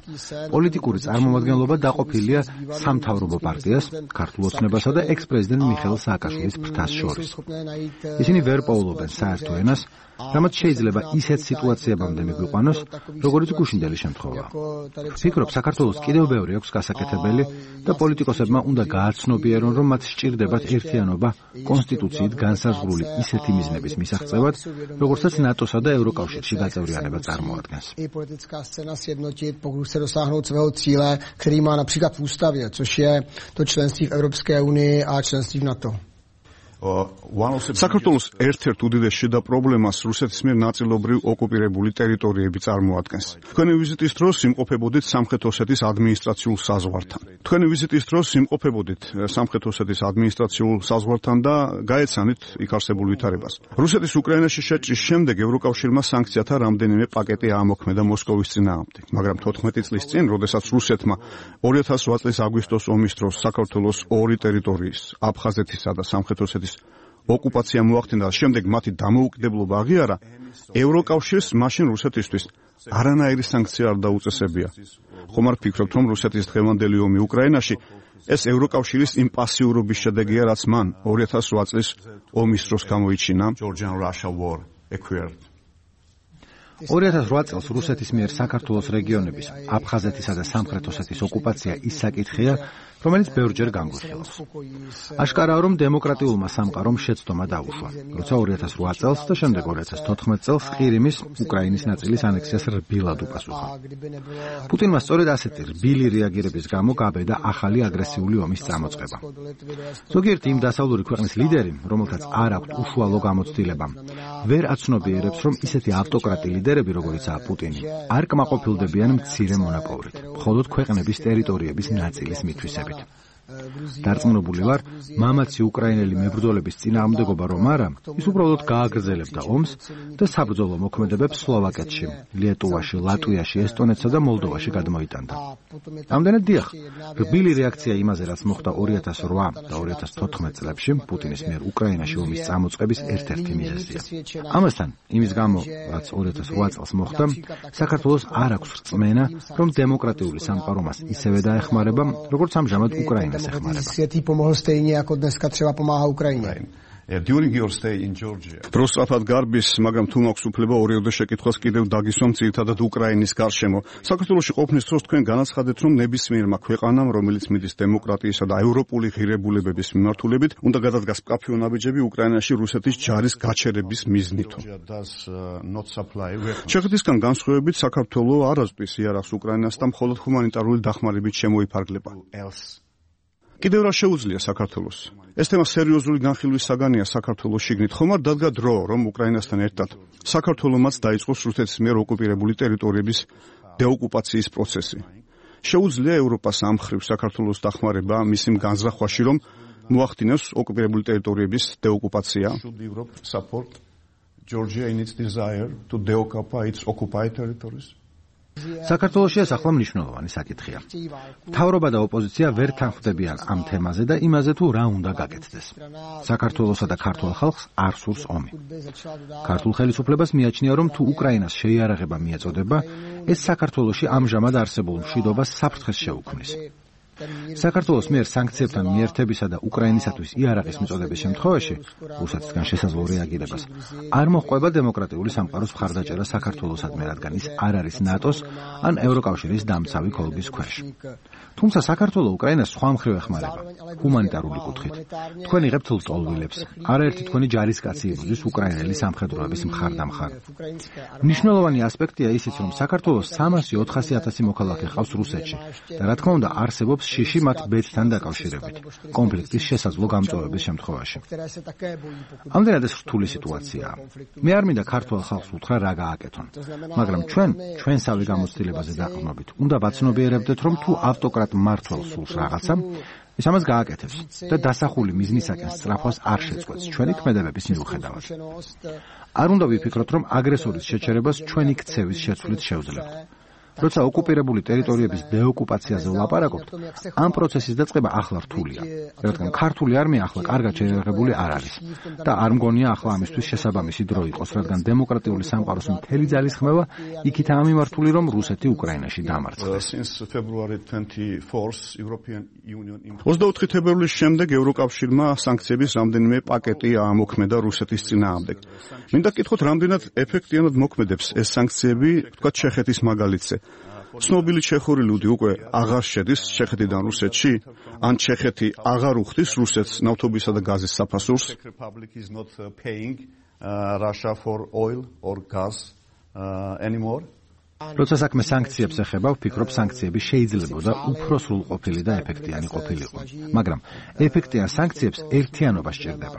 პოლიტიკური წარმომადგენლობა დაყოფილია სამთავრობო პარტიას, ქართულ ოცნებასა და ექს-პრეზიდენტ მიხეილ სააკაშვილის ფრთას შორის. ისინი ვერ პოულობენ საერთო ენას, რამაც შეიძლება ისეთ სიტუაციებამდე მიგვიყვანოს, როგორც გუშინდელი შემთხვევა. ფიქრობ, საქართველოს კიდევ ბევრი აქვს გასაკეთებელი და პოლიტიკოსებმა უნდა გააცნობიერონ, რომ მათ სჭირდებათ ერთიანობა კონსტიტუციით განსაზღვრული ისეთი მიზნების მისაღწევად, როგორცაც ნატოსა და ევროკავშირში გაწევრიანება წარმოადგენს. který má například v ústavě, což je to členství v Evropské unii a členství v NATO. საქართველოს ერთ-ერთ უდიდეს შიდა პრობლემას რუსეთის მიერ ნაწილობრივ ოკუპირებული ტერიტორიები წარმოადგენს. თქვენი ვიზიტის დროს იმყოფებოდით სამხრეთ ოსეთის ადმინისტრაციულ საზღვართან. თქვენი ვიზიტის დროს იმყოფებოდით სამხრეთ ოსეთის ადმინისტრაციულ საზღვართან და გაეცანით იქ არსებულ ვითარებას. რუსეთის უკრაინაში შეჭრის შემდეგ ევროკავშირმა სანქციათა რამდენიმე პაკეტი აამოქმედა მოსკოვის წინააღმდეგ, მაგრამ თოთხმეტი წლის წინ, როდესაც რუსეთმა ორი ათას ოთხ წლის აგვისტოს ომის დროს საქართველოს ორი ტერიტორიის, აფხაზეთისა და სამხრეთ ოსეთის ოკუპაცია მოახდინა და შემდეგ მათი დამოუკიდებლობა აღიარა, ევროკავშირს მაშინ რუსეთისთვის არანაირი სანქცია არ დაუწესებია. ხომ არ ფიქრობთ, რომ რუსეთის დღევანდელი ომი უკრაინაში ეს ევროკავშირის იმ პასიურობის შედეგია, რაც მან ორი ათას ოთხ წლის ომის დროს გამოიჩინა? ორი ათას ოთხ წელს რუსეთის მიერ საქართველოს რეგიონების, აფხაზეთისა და სამხრეთ ოსეთის ოკუპაცია ის საკითხია, რომელიც ბევრჯერ განგვიხილავს. აშკარაა, რომ დემოკრატიულმა სამყარომ შეცდომა დაუშვა, როცა ორი ათას ოთხ წელს და შემდეგ ორი ათას თოთხმეტ წელს ყირიმის, უკრაინის ნაწილის ანექსიას რბილად უპასუხა. პუტინმა სწორედ ასეთი რბილი რეაგირების გამო გაბედა ახალი აგრესიული ომის წამოწყება. ზოგიერთი იმ დასავლური ქვეყნის ლიდერი, რომელთაც არ აქვთ უშუალო გამოცდილება, ვერ აცნობიერებს, რომ ისეთი ავტოკრატი ლიდერები, როგორიცაა პუტინი, არ კმაყოფილდებიან მცირე მონაპოვრით, მხოლოდ ქვეყნების ტერიტორიების ნაწილის მითვისებით. დარწმუნებული ვარ, მამაცი უკრაინელი მებრძოლების წინააღმდეგობა რომ არა, ის უბრალოდ გააგრძელებდა ომს და საბრძოლო მოქმედებებს სლოვაკეთში, ლიეტუვაში, ლატვიაში, ესტონეთსა და მოლდოვაში გადმოიტანდა. ამდენად დიახ, რბილი რეაქცია იმაზე, რაც მოხდა ორი ათას ოთხ და ორი ათას თოთხმეტ წლებში პუტინის მიერ უკრაინაში ომის წამოწყების ერთ-ერთი მიზეზია. ამასთან, იმის გამო, რაც ორი ათას ოთხ წელს მოხდა, საქართველოს არ აქვს რწმენა, რომ დემოკრატიული სამყარო მას ისევე დაეხმარება, როგორც ამჟამად უკრაინა. Světý pomohl stejně jako dneska třeba pomáhá Ukrajině. Prosrafat garbis, მაგრამ თუ მაქვს უფლება ორიოდე შეკითხვას კიდევ დაგისვამ ძირითადად უკრაინის გარშემო. საქართველოში ყოფნის დროს თქვენ განაცხადეთ, რომ ნებისმიერმა ქვეყანამ, რომელიც მიდის დემოკრატიისა და ევროპული ღირებულებების მიმართულებით, უნდა გადადგას მკაფიო ნაბიჯები უკრაინაში რუსეთის ჯარის გაჩერების მიზნით. ჩეხეთისგან განსხვავებით, საქართველო არ აზრდის იარაღს უკრაინას და მხოლოდ ჰუმანიტარული დახმარებით შემოიფარგლება. კიდევ რა შეუძლია საქართველოს? ეს თემა სერიოზული განხილვის საგანია საქართველოს შიგნით. ხომ არ დადგა დრო, რომ უკრაინასთან ერთად საქართველომაც დაიწყოს რუსეთის მიერ ოკუპირებული ტერიტორიების დეოკუპაციის პროცესი? შეუძლია ევროპას ამ მხრივ საქართველოს დახმარება მისი განზრახვაში, რომ მოახდინოს ოკუპირებული ტერიტორიების დეოკუპაცია? საქართველოშია ახლა მნიშვნელოვანი საკითხია. მთავრობა და ოპოზიცია ვერ თანხმდებიან ამ თემაზე და იმაზე თუ რა უნდა გაკეთდეს. საქართველოსა და ქართულ ხალხს არ სურს ომი. ქართულ ხელისუფლებას მიაჩნია, რომ თუ უკრაინას შეიარაღება მიეწოდება, ეს საქართველოში ამჟამად არსებულ მშვიდობას საფრთხეს შეუქმნის. საქართველოს მიერ სანქციებთან მიერთებისა და უკრაინისათვის იარაღის მიწოდების შემთხვევაში, რუსეთისგან შესაძლო რეაგირებას, არ მოჰყვება დემოკრატიული სამყაროს მხარდაჭერა საქართველოსადმი, რადგან ის არ არის ნატოს ან ევროკავშირის დამცავი ქოლგის ქვეშ. თუმცა საქართველო უკრაინას სხვა მხრივ ეხმარება, ჰუმანიტარული კუთხით. თქვენ იღებთ ლტოლვილებს, არაერთი თქვენი ჯარისკაცი იბრძვის უკრაინელი სამხედროების მხარდამხარ. მნიშვნელოვანი ასპექტია ისიც, რომ საქართველოს სამასი ოთხასი ათასი მოქალაქე ჰყავს რუსეთში და რა თქმა უნდა არსებობს შიში მათ ბედთან დაკავშირებით, კონფლიქტის შესაძლო გამწვავების შემთხვევაში. ამდენად ეს რთული სიტუაციაა. მე არ მინდა ქართულ ხალხს უთხრა რა გააკეთონ, მაგრამ ჩვენ, ჩვენსავე გამოცდილებაზე დაყრდნობით, უნდა ვაცნობიერებდეთ, რომ თუ ავტოკრატ მმართველს სულს რაღაცა, ის ამას გააკეთებს და დასახული მიზნისაკენ სწრაფვას არ შეწყვეტს ჩვენი ქმედებების მიუხედავად. არ უნდა ვიფიქროთ, რომ აგრესორის შეჩერებას ჩვენი ქცევის შეცვლით შევძლებთ. როცა ოკუპირებული ტერიტორიების დეოკუპაციაზე ვლაპარაკობთ, ამ პროცესის დაწყება ახლა რთულია, რადგან ქართული არმია ახლა კარგად შეიარაღებული არ არის და არ მგონია ახლა ამისთვის შესაბამისი დრო იყოს, რადგან დემოკრატიული სამყაროს მთელი ძალისხმევა იქითაა მიმართული, რომ რუსეთი უკრაინაში დამარცხდეს. ოცდაოთხი თებერვლის შემდეგ ევროკავშირმა სანქციების რამდენიმე პაკეტი აამოქმედა რუსეთის წინააღმდეგ. მინდა გკითხოთ, რამდენად ეფექტიანად მოქმედებს ეს სანქციები, თქვათ ჩეხეთის მაგალითზე. ცნობილი ჩეხური ლუდი უკვე აღარ შედის ჩეხეთიდან რუსეთში, ან ჩეხეთი აღარ უხდის რუსეთს ნავთობისა და გაზის საფასურს. Russia for oil or gas uh, anymore. როცა საქმე სანქციებს ეხება, ვფიქრობ, სანქციები შეიძლებოდა უფრო სრულყოფილი და ეფექტიანი ყოფილიყო. მაგრამ ეფექტიან სანქციებს ერთიანობა სჭირდება.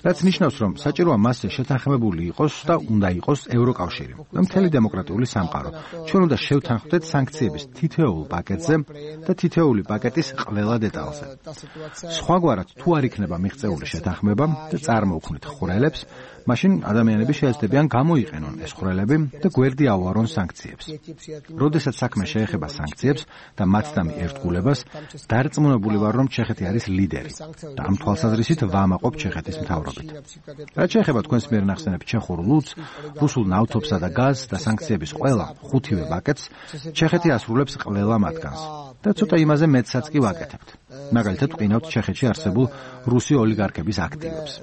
რაც ნიშნავს, რომ საჭიროა მასზე შეთანხმებული იყოს და უნდა იყოს ევროკავშირი. მთელი დემოკრატიული სამყარო. ჩვენ უნდა შევთანხმდეთ სანქციების თითოეულ პაკეტზე და თითოეული პაკეტის ყველა დეტალზე. სხვაგვარად, თუ არ იქნება მიღწეული შეთანხმება და წარმოუქმნით ხვრელებს, მაშინ ადამიანები შეეცდებიან გამოიყენონ ეს ხვრელები და გვერდი ავარონ სანქციებს. როდესაც საქმე შეეხება სანქციებს და მათდამი ერთგულებას, დარწმუნებული ვარ, რომ ჩეხეთი არის ლიდერი და ამ თვალსაზრისით ვამაყობ ჩეხეთის მთავრობით. რაც შეეხება თქვენს მიერ ნახსენებ ჩეხურ ლუდს, რუსულ ნავთობსა და გაზს და სანქციების ყველა ხუთივე პაკეტს, ჩეხეთი ასრულებს ყველა მათგანს და ცოტა იმაზე მეტსაც კი ვაკეთებთ. მაგალითად, ვყინავთ ჩეხეთში არსებულ რუსი ოლიგარქების აქტივებს.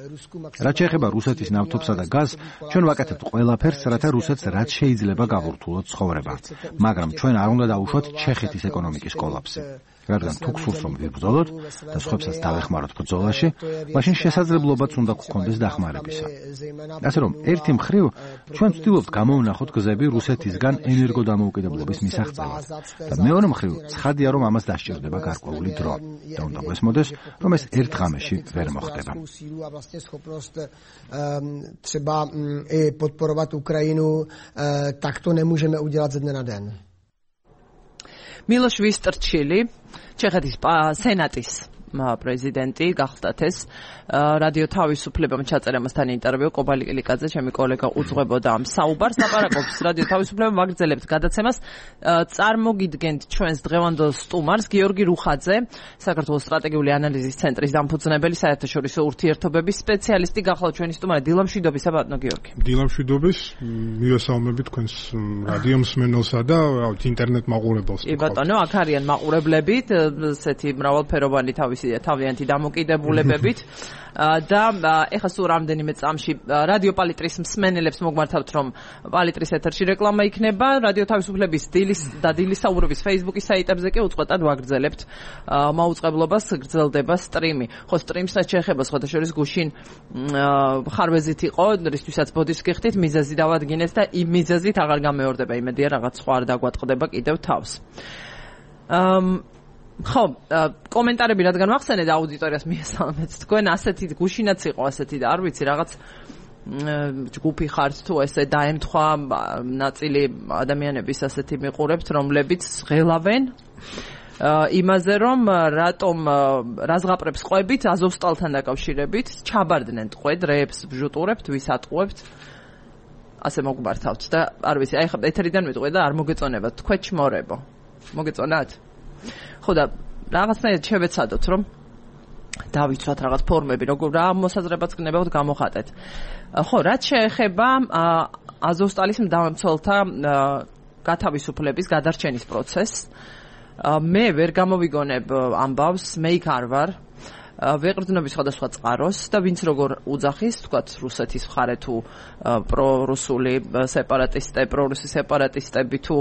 რაც შეეხება რუსეთის ნავთობსა და გაზს, ჩვენ ვაკეთებთ ყველაფერს, რათა რუსეთს რაც შეიძლება გავურთულოთ ცხოვრება. მაგრამ ჩვენ არ უნდა დავუშვათ ჩეხეთის ეკონომიკის კოლაფსი. რადგან თუ გსურს რომ ვიბრძოლოთ და სხვებსაც დავეხმაროთ ბრძოლაში, მაშინ შესაძლებლობაც უნდა გქონდეს დახმარებისა. ასე რომ, ერთი მხრივ ჩვენ ვცდილობთ გამოვნახოთ გზები რუსეთისგან ენერგოდამოუკიდებლობის მისაღწევად და მეორე მხრივ ცხადია, რომ ამას დასჭირდება გარკვეული დრო და უნდა გვესმოდეს, რომ ეს ერთ ღამეში ვერ მოხდება. třeba i podporovat Ukrajinu, tak to nemůžeme udělat ze dne na den. Miloš Vystrčili, ჩეხეთის სენატის პრეზიდენტი გახდათ ეს რადიო თავისუფლებამ ჩაწერა მასთან ინტერვიუ კობალი კილიკაძე ჩემი კოლეგა უძღვებოდა ამ საუბარს ლაპარაკობს რადიო თავისუფლება მაგრძელებთ გადაცემას წარმოგიდგენთ ჩვენს დღევანდელ სტუმარს გიორგი რუხაძე საქართველოს სტრატეგიული ანალიზის ცენტრის დამფუძნებელი საერთაშორისო ურთიერთობების სპეციალისტი გახლავთ ჩვენი სტუმარი დილამშვიდობისა ბატონო გიორგი დილამშვიდობის მივესალმები თქვენს რადიო მსმენელსა და ინტერნეტ მაყურებელს კი ბატონო აქ არიან მაყურებლებით ესეთი მრავალფეროვანი თავის თავიანთი დამოკიდებულებებით და ეხლა სულ რამდენიმე წამში რადიო პალიტრის მსმენელებს მოგმართავთ რომ პალიტრის ეთერში რეკლამა იქნება რადიო თავისუფლების დილის და დილისაუბრების Facebook-ის საიტებზე კი უწყვეტად ვაგრძელებთ მაუწყებლობას გრძელდება სტრიმი ხო სტრიმსაც შეეხება სხვადასხვა გუშინ ხარვეზით იყო რისთვისაც ბოდიშს გიხდით მიზეზი დავადგინეთ და იმ მიზეზით აღარ გამეორდება იმედია რაღაც სხვა არ დაგვატყდება კიდევ თავს ხო, კომენტარები რადგან ვახსენე და აუდიტორიას მიესალმეთ თქვენ ასეთი გუშინაც იყო ასეთი და არ ვიცი რაღაც ჯგუფი ხართ თუ ესე დაემთხვა ნაწილი ადამიანების ასეთი მიყურებთ რომლებიც ღელავენ იმაზე რომ რატომ რაზღაპრებს ყვებით აზოვსტალთან დაკავშირებით ჩაბარდნენ ტყვე დრეებს ვჟუტურებთ ვის ატყუებთ ასე მოგმართავთ და არ ვიცი აი ხა ეთერიდან ვიტყვე და არ მოგეწონებათ თქვენ ჩმორებო მოგეწონათ ხო და რაღაცნაირად შევეცადოთ რომ დავიცვათ რაღაც ფორმები როგორ რა მოსაზრებაც გნებავთ გამოხატეთ ხო რაც შეეხება აზოვსტალის მდამცველთა გათავისუფლების გადარჩენის პროცესს მე ვერ გამოვიგონებ ამბავს მე იქ არ ვარ ვეყრდნობი სხვადასხვა წყაროს და ვინც როგორ უძახის თქვათ რუსეთის მხარე თუ პრორუსული სეპარატისტები პრორუსი სეპარატისტები თუ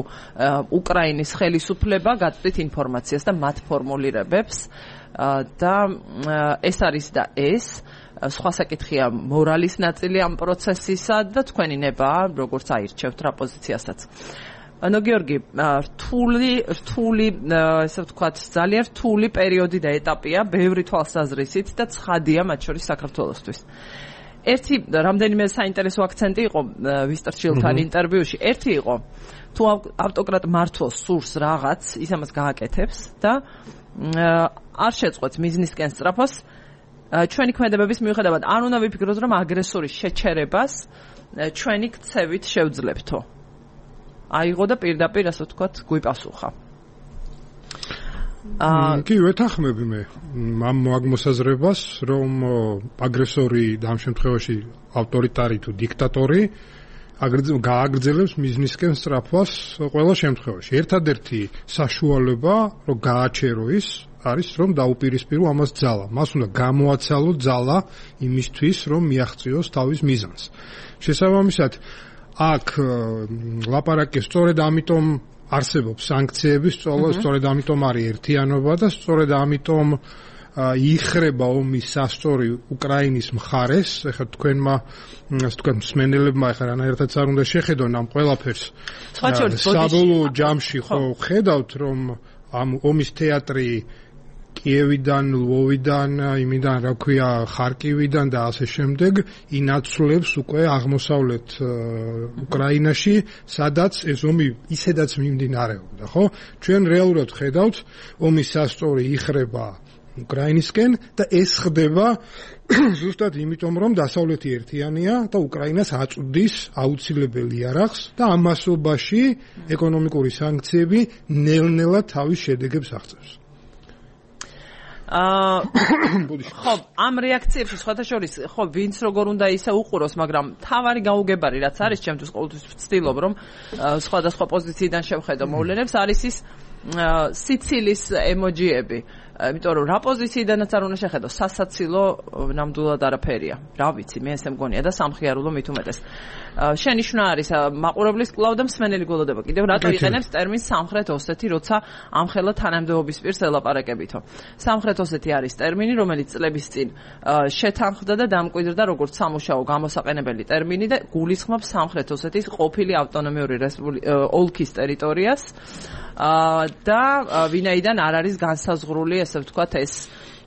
უკრაინის ხელისუფლება გაწვდით ინფორმაციას და მათ ფორმულირებებს და ეს არის და ეს სხვა საკითხია მორალის ნაწილი ამ პროცესისა და თქვენი ნება როგორც აირჩევთ რა პოზიციასაც ანუ გიორგი რთული რთული ესე ვთქვათ ძალიან რთული პერიოდი და ეტაპია ბევრი თვალსაზრისით და ცხადია მათ შორის საქართველოსთვის ერთი რამდენიმე საინტერესო აქცენტი იყო ვისტრჩილთან ინტერვიუში ერთი იყო თუ ავტოკრატ მართლს სურს რაღაც ის ამას გააკეთებს და არ შეწყვეტს მიზნისკენ სწრაფოს ჩვენი ქმედებების მიუხედავად არ უნდა ვიფიქროთ რომ აგრესორის შეჩერებას ჩვენი ქცევით შევძლებთო აიღო და პირდაპირ ასე ვთქვათ გვიპასუხა. აა კი ვეთანხმები მე ამ მოსაზრებას რომ აგრესორი და ამ შემთხვევაში ავტორიტარი თუ დიქტატორი გააგრძელებს მიზნისკენ სწრაფვას ყველა შემთხვევაში. ერთადერთი საშუალება რომ გააჩერო ის არის რომ დაუპირისპირო ამას ძალა. მას უნდა გამოაცალო ძალა იმისთვის რომ მიაღწიოს თავის მიზანს. შესაბამისად აქ ლაპარაკი სწორედ ამიტომ არსებობს სანქციების სწორედ სწორედ ამიტომ არის ერთიანობა და სწორედ ამიტომ იხრება ომის სასწორი უკრაინის მხარეს. ეხლა თქვენმა ასე თქვენ მსმენელებმა ეხლა რანაირადაც არ უნდა შეხედონ ამ ყველაფერს. საბოლოო ჯამში ხო ხედავთ რომ ამ ომის თეატრი კიევიდან, ლვოვიდან, იმიდან რა ქვია, ხარკივიდან და ასე შემდეგ ინაცვლებს უკვე აღმოსავლეთ უკრაინაში, სადაც ეს ომი ისედაც მიმდინარეობდა, ხო? ჩვენ რეალურად ხედავთ, ომის სასწორი იხრება უკრაინისკენ და ეს ხდება ზუსტად იმიტომ, რომ დასავლეთი ერთიანია და უკრაინას აწვდის აუცილებელი იარაღს და ამ მასობაში ეკონომიკური სანქციები ნელ-ნელა თავის შედეგებს აღწევს. აა ხო, ამ რეაქციებში სხვათაშორის ხო ვინც როგორ უნდა ისე უყუროს, მაგრამ თავარი გაუგებარი რაც არის, ჩემთვის ყოველთვის ვცდილობ რომ სხვადასხვა პოზიციიდან შევხედო მოვლენებს, არის ის სიცილის ემოჯიები. იმიტომ რომ რა პოზიციიდანაც არ უნდა შეხედო, სასაცილო ნამდვილად არაფერია. რა ვიცი, მე ესე მგონია და სამხიარულო მით უმეტეს. შენიშვნა არის მაყურებლის კვლავ და მსმენელი გველოდება. კიდევ რატო იყენებს ტერმინს სამხრეთ ოსეთი, როცა ამხელა თანამდებობის პირს ელაპარაკებითო. სამხრეთ ოსეთი არის ტერმინი, რომელიც წლების წინ შეთანხმდა და დამკვიდრდა როგორც სამუშაო გამოსაყენებელი ტერმინი და გულისხმობს სამხრეთ ოსეთის ყოფილი ავტონომიური ოლქის ტერიტორიას. და ვინაიდან არ არის განსაზღვრული, ესე ვთქვათ, ეს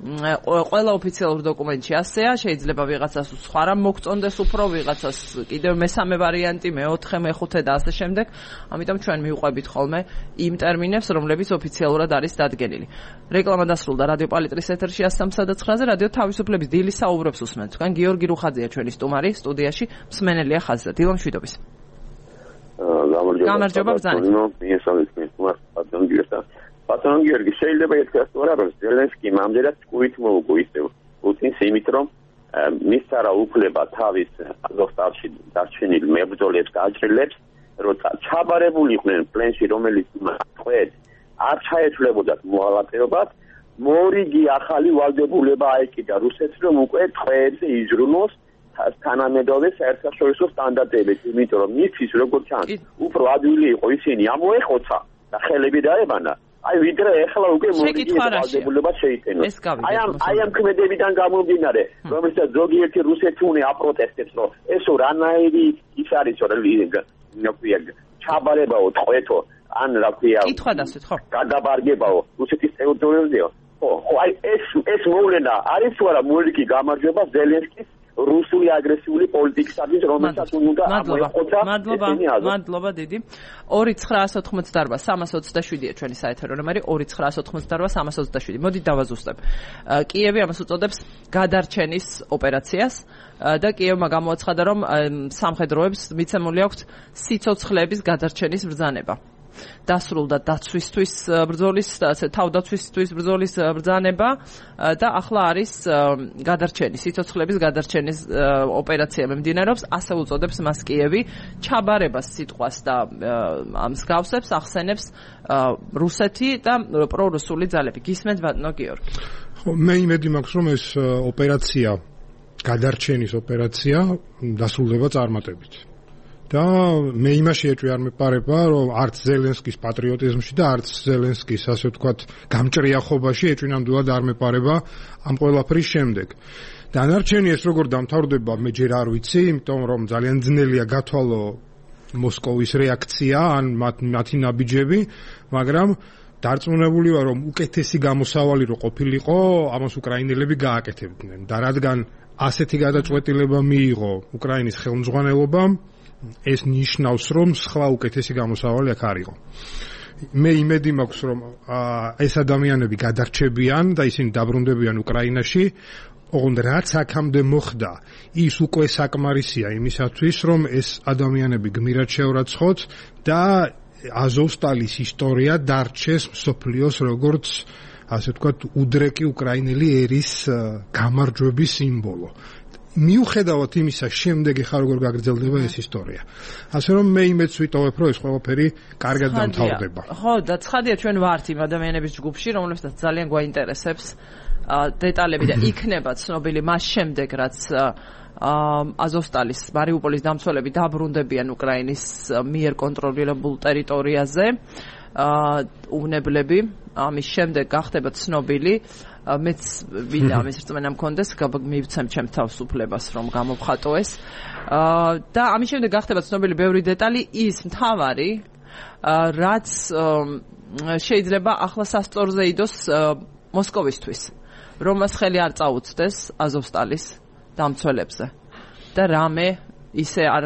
ყველა ოფიციალურ დოკუმენტში ასეა, შეიძლება ვიღაცას სხვა რამ მოგწონდეს უფრო, ვიღაცას კიდევ მესამე ვარიანტი, მეოთხე, მეხუთე და ასე შემდეგ. ამიტომ ჩვენ მივყვებით ხოლმე იმ ტერმინებს, რომლებიც ოფიციალურად არის დადგენილი. რეკლამა დასრულდა რადიო პალიტრის ეთერში ას სამსა და ცხრაზე, რადიო თავისუფლების დილის საუბრებს უსმენთ. თქვენ გიორგი რუხაძეა ჩვენი სტუმარი, სტუდიაში მსმენელია ხაზზე. დილო მშვიდობის. გამარჯობა ბრძანეთ. ბატონო გიორგი, შეიძლება ითქვას თორე რომ ზელენსკიმ ამდენად ჭკუით მოუგო ისევ პუტინს იმით რომ მის არა უფლება თავის აზოვსტალში დარჩენილ მებრძოლებს გააჭრილებს, როცა ჩაბარებული იყვნენ პლენში, რომელიც თქვენ არ ჩაეცვლებოდათ მოალაპეობად, მორიგი ახალი ვალდებულება აეკიდა რუსეთს, რომ უკვე თქვენზე იზრუნოს თანამედროვე საერთაშორისო სტანდარტებით, იმიტომ რომ მისთვის როგორც ჩანს, უფრო ადვილი იყო ისინი ამოეხოცა და ხელები დაებანა. აი ვიდრე ახლა უკვე მორიგი ვალდებულება შეიტენოს. აი ამ აი ამ ქმედებიდან გამომდინარე, რომელსაც ზოგიერთი რუსეთი უნდა აპროტესტებს, რომ ესო რანაირი ის არის, რომ ნაკვია ჩაბარებაო, ტყვეთო, ან რა ქვია, კითხვა დასვით, ხო? გადაბარგებაო რუსეთის ტერიტორიაზეო. ხო, ხო, აი ეს ეს მოვლენა არის თუ არა მორიგი გამარჯვება ზელენსკის რუსული აგრესიული პოლიტიკისათვის, რომელსაც უნდა ამოეხოცა. მადლობა, მადლობა დიდი. ორი ცხრაას ოთხმოცდაარბა სამას ოცდაშვიდია ჩვენი საეთერო ნომერი, ორი ცხრაას ოთხმოცდაარბა სამას ოცდაშვიდი. მოდით დავაზუსტებ. კიევი ამას უწოდებს გადარჩენის ოპერაციას და კიევმა გამოაცხადა, რომ სამხედროებს მიცემული აქვთ სიცოცხლეების გადარჩენის ბრძანება. დასრულდა დაცვისთვის ბრძოლის, თავდაცვისთვის ბრძოლის ბრძანება და ახლა არის გადარჩენის, სიცოცხლების გადარჩენის ოპერაცია მიმდინარეობს, ასე უწოდებს მას კიევი, ჩაბარებას სიტყვას და მსგავსებს ახსენებს რუსეთი და პრორუსული ძალები. გისმენთ ბატონო გიორგი? ხო, მე იმედი მაქვს, რომ ეს ოპერაცია, გადარჩენის ოპერაცია დასრულდება წარმატებით. და მე იმაში ეჭვი არ მეპარება, რომ არც ზელენსკის პატრიოტიზმში და არც ზელენსკის, ასე ვთქვათ, გამჭრიახობაში ეჭვი ნამდვილად არ მეპარება ამ ყველაფრის შემდეგ. დანარჩენი ეს როგორ დამთავრდება, მე ჯერ არ ვიცი, იმიტომ რომ ძალიან ძნელია გათვალო მოსკოვის რეაქცია ან მათი ნაბიჯები, მაგრამ დარწმუნებული ვარ, რომ უკეთესი გამოსავალი რო ყოფილიყო, ამას უკრაინელები გააკეთებდნენ. და რადგან ასეთი გადაწყვეტილება მიიღო უკრაინის ხელმძღვანელობამ, ეს ნიშნავს, რომ სხვა უკეთესი გამოსავალი აქ არ იყო. მე იმედი მაქვს, რომ ეს ადამიანები გადარჩებიან და ისინი დაბრუნდებიან უკრაინაში, ოღონდ რაც აქამდე მოხდა, ის უკვე საკმარისია იმისათვის, რომ ეს ადამიანები გმირად შევრაცხოთ და აზოვსტალის ისტორია დარჩეს მსოფლიოს როგორც, ასე ვთქვათ, უდრეკი უკრაინელი ერის გამარჯვების სიმბოლო. მიუხედავად იმისა, შემდეგ ხა როგორ გაგრძელდება ეს ისტორია. ასე რომ მე იმედს ვიტოვებ, რომ ეს ყველაფერი კარგად დამთავრდება. ხო, და ცხადია ჩვენ ვართ იმ ადამიანების ჯგუფში, რომლებსაც ძალიან გვაინტერესებს დეტალები და იქნება ცნობილი მას შემდეგ, რაც აზოვსტალის მარიუპოლის დამცველები დაბრუნდებიან უკრაინის მიერ კონტროლირებულ ტერიტორიაზე. უვნებლები ამის შემდეგ გახდება ცნობილი მეც ვინდა ამის რწმენა მქონდეს მივცემ ჩემ თავისუფლებას რომ გამოვხატო ეს და ამის შემდეგ გახდება ცნობილი ბევრი დეტალი ის მთავარი რაც შეიძლება ახლა სასწორზე იდოს მოსკოვისთვის რომ მას ხელი არ წაუწდეს აზოვსტალის დამცველებზე და რამე ისე არ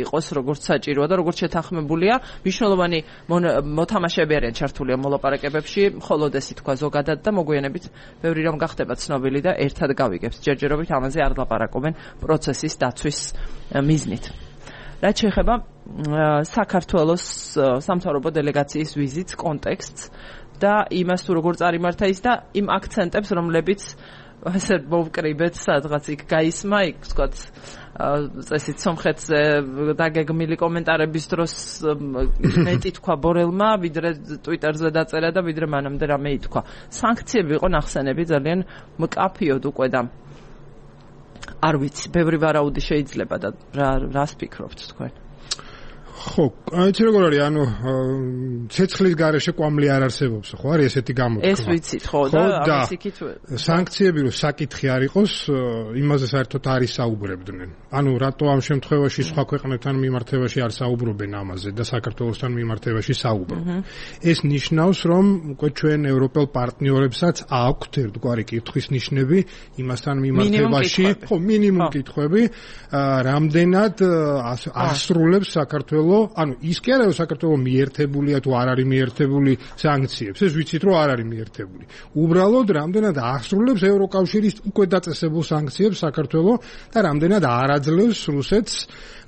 იყოს როგორც საჭიროა და როგორც შეთანხმებულია მნიშვნელოვანი მოთამაშეები არიან ჩართული ამ მოლაპარაკებებში მხოლოდ ეს თქვა ზოგადად და მოგვიანებით ბევრი რამ გახდება ცნობილი და ერთად გავიგებთ ჯერჯერობით ამაზე არ ლაპარაკობენ პროცესის დაცვის მიზნით რაც შეეხება საქართველოს სამთავრობო დელეგაციის ვიზიტს კონტექსტს და იმას თუ როგორ წარიმართა ის და იმ აქცენტებს რომლებიც ასე მოვკრიბეთ სადღაც იქ გაისმა იქ ვთქვათ წესით სომხეთზე დაგეგმილი კომენტარების დროს მეტი თქვა ბორელმა ვიდრე ტვიტერზე დაწერა და ვიდრე მანამდე რამე ითქვა სანქციები იყო ნახსენები ძალიან მკაფიოდ უკვე და არ ვიცი ბევრი ვარაუდი შეიძლება და რას ფიქრობთ თქვენ ხო, იცი როგორ არის, ანუ ცეცხლის გარეშე კვამლი არ არსებობს, ხო არის ესეთი გამოთქვა. ეს ვიცით, ხო და ამის იქით სანქციები რო საკითხი არ იყოს, იმაზე საერთოდ არ ისაუბრებდნენ. ანუ რატო ამ შემთხვევაში სხვა ქვეყნებთან მიმართებაში არ საუბრობენ ამაზე და საქართველოსთან მიმართებაში საუბრობენ. ეს ნიშნავს, რომ უკვე ჩვენ ევროპელ პარტნიორებსაც აქვთ ერთგვარი კითხვის ნიშნები იმასთან მიმართებაში, ხო, მინიმუმ კითხვები, რამდენად ასრულებს საქართველოს ანუ ის კი არა რომ საქართველოს მიერთებულია თუ არ არის მიერთებული სანქციებს ეს ვიცით რომ არ არის მიერთებული უბრალოდ რამდენად აღსრულებს ევროკავშირის უკვე დაწესებულ სანქციებს საქართველოს და რამდენად არ აძლევს რუსეთს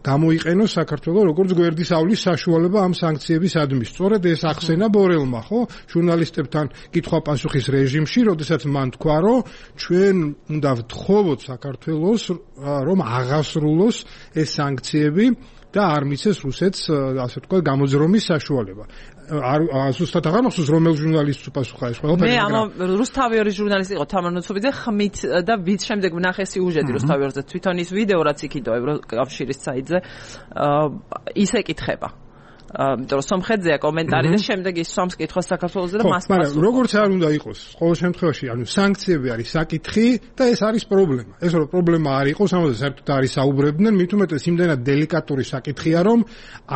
გამოიყენოს საქართველოს როგორც გვერდის ავლის საშუალება ამ სანქციების ადმის სწორედ ეს ახსენა ბორელმა ხო ჟურნალისტებთან კითხვა-პასუხის რეჟიმში როდესაც მან თქვა რომ ჩვენ უნდა ვთხოვოთ საქართველოს რომ აღასრულოს ეს სანქციები და არ მიცეს რუსეთს ასე თქვა გამოძრომის საშუალება. არ ზუსტად აღარ მახსოვს რომელ ჟურნალისტს უპასუხა ეს ყველაფერი. მე ამ რუსთავიორის ჟურნალისტი იყო თამარ ნუცუბიძე ხმით და ვით შემდეგ ვნახე სიუჟეტი რუსთავიორზე თვითონ ის ვიდეო რაც იქიდო ევროკავშირის საიტზე ისე კითხება. იმიტომ რომ სომხეთზეა კომენტარი და შემდეგ ის სომს კითხავს საქართველოსზე და მას პასუხობს. მაგრამ როგორც არ უნდა იყოს, ყოველ შემთხვევაში, ანუ სანქციები არის საკითხი და ეს არის პრობლემა. ეს რომ პრობლემა არ იყოს, ამაზე საერთოდ არ ისაუბრებდნენ, მით უმეტეს იმდენად დელიკატური საკითხია, რომ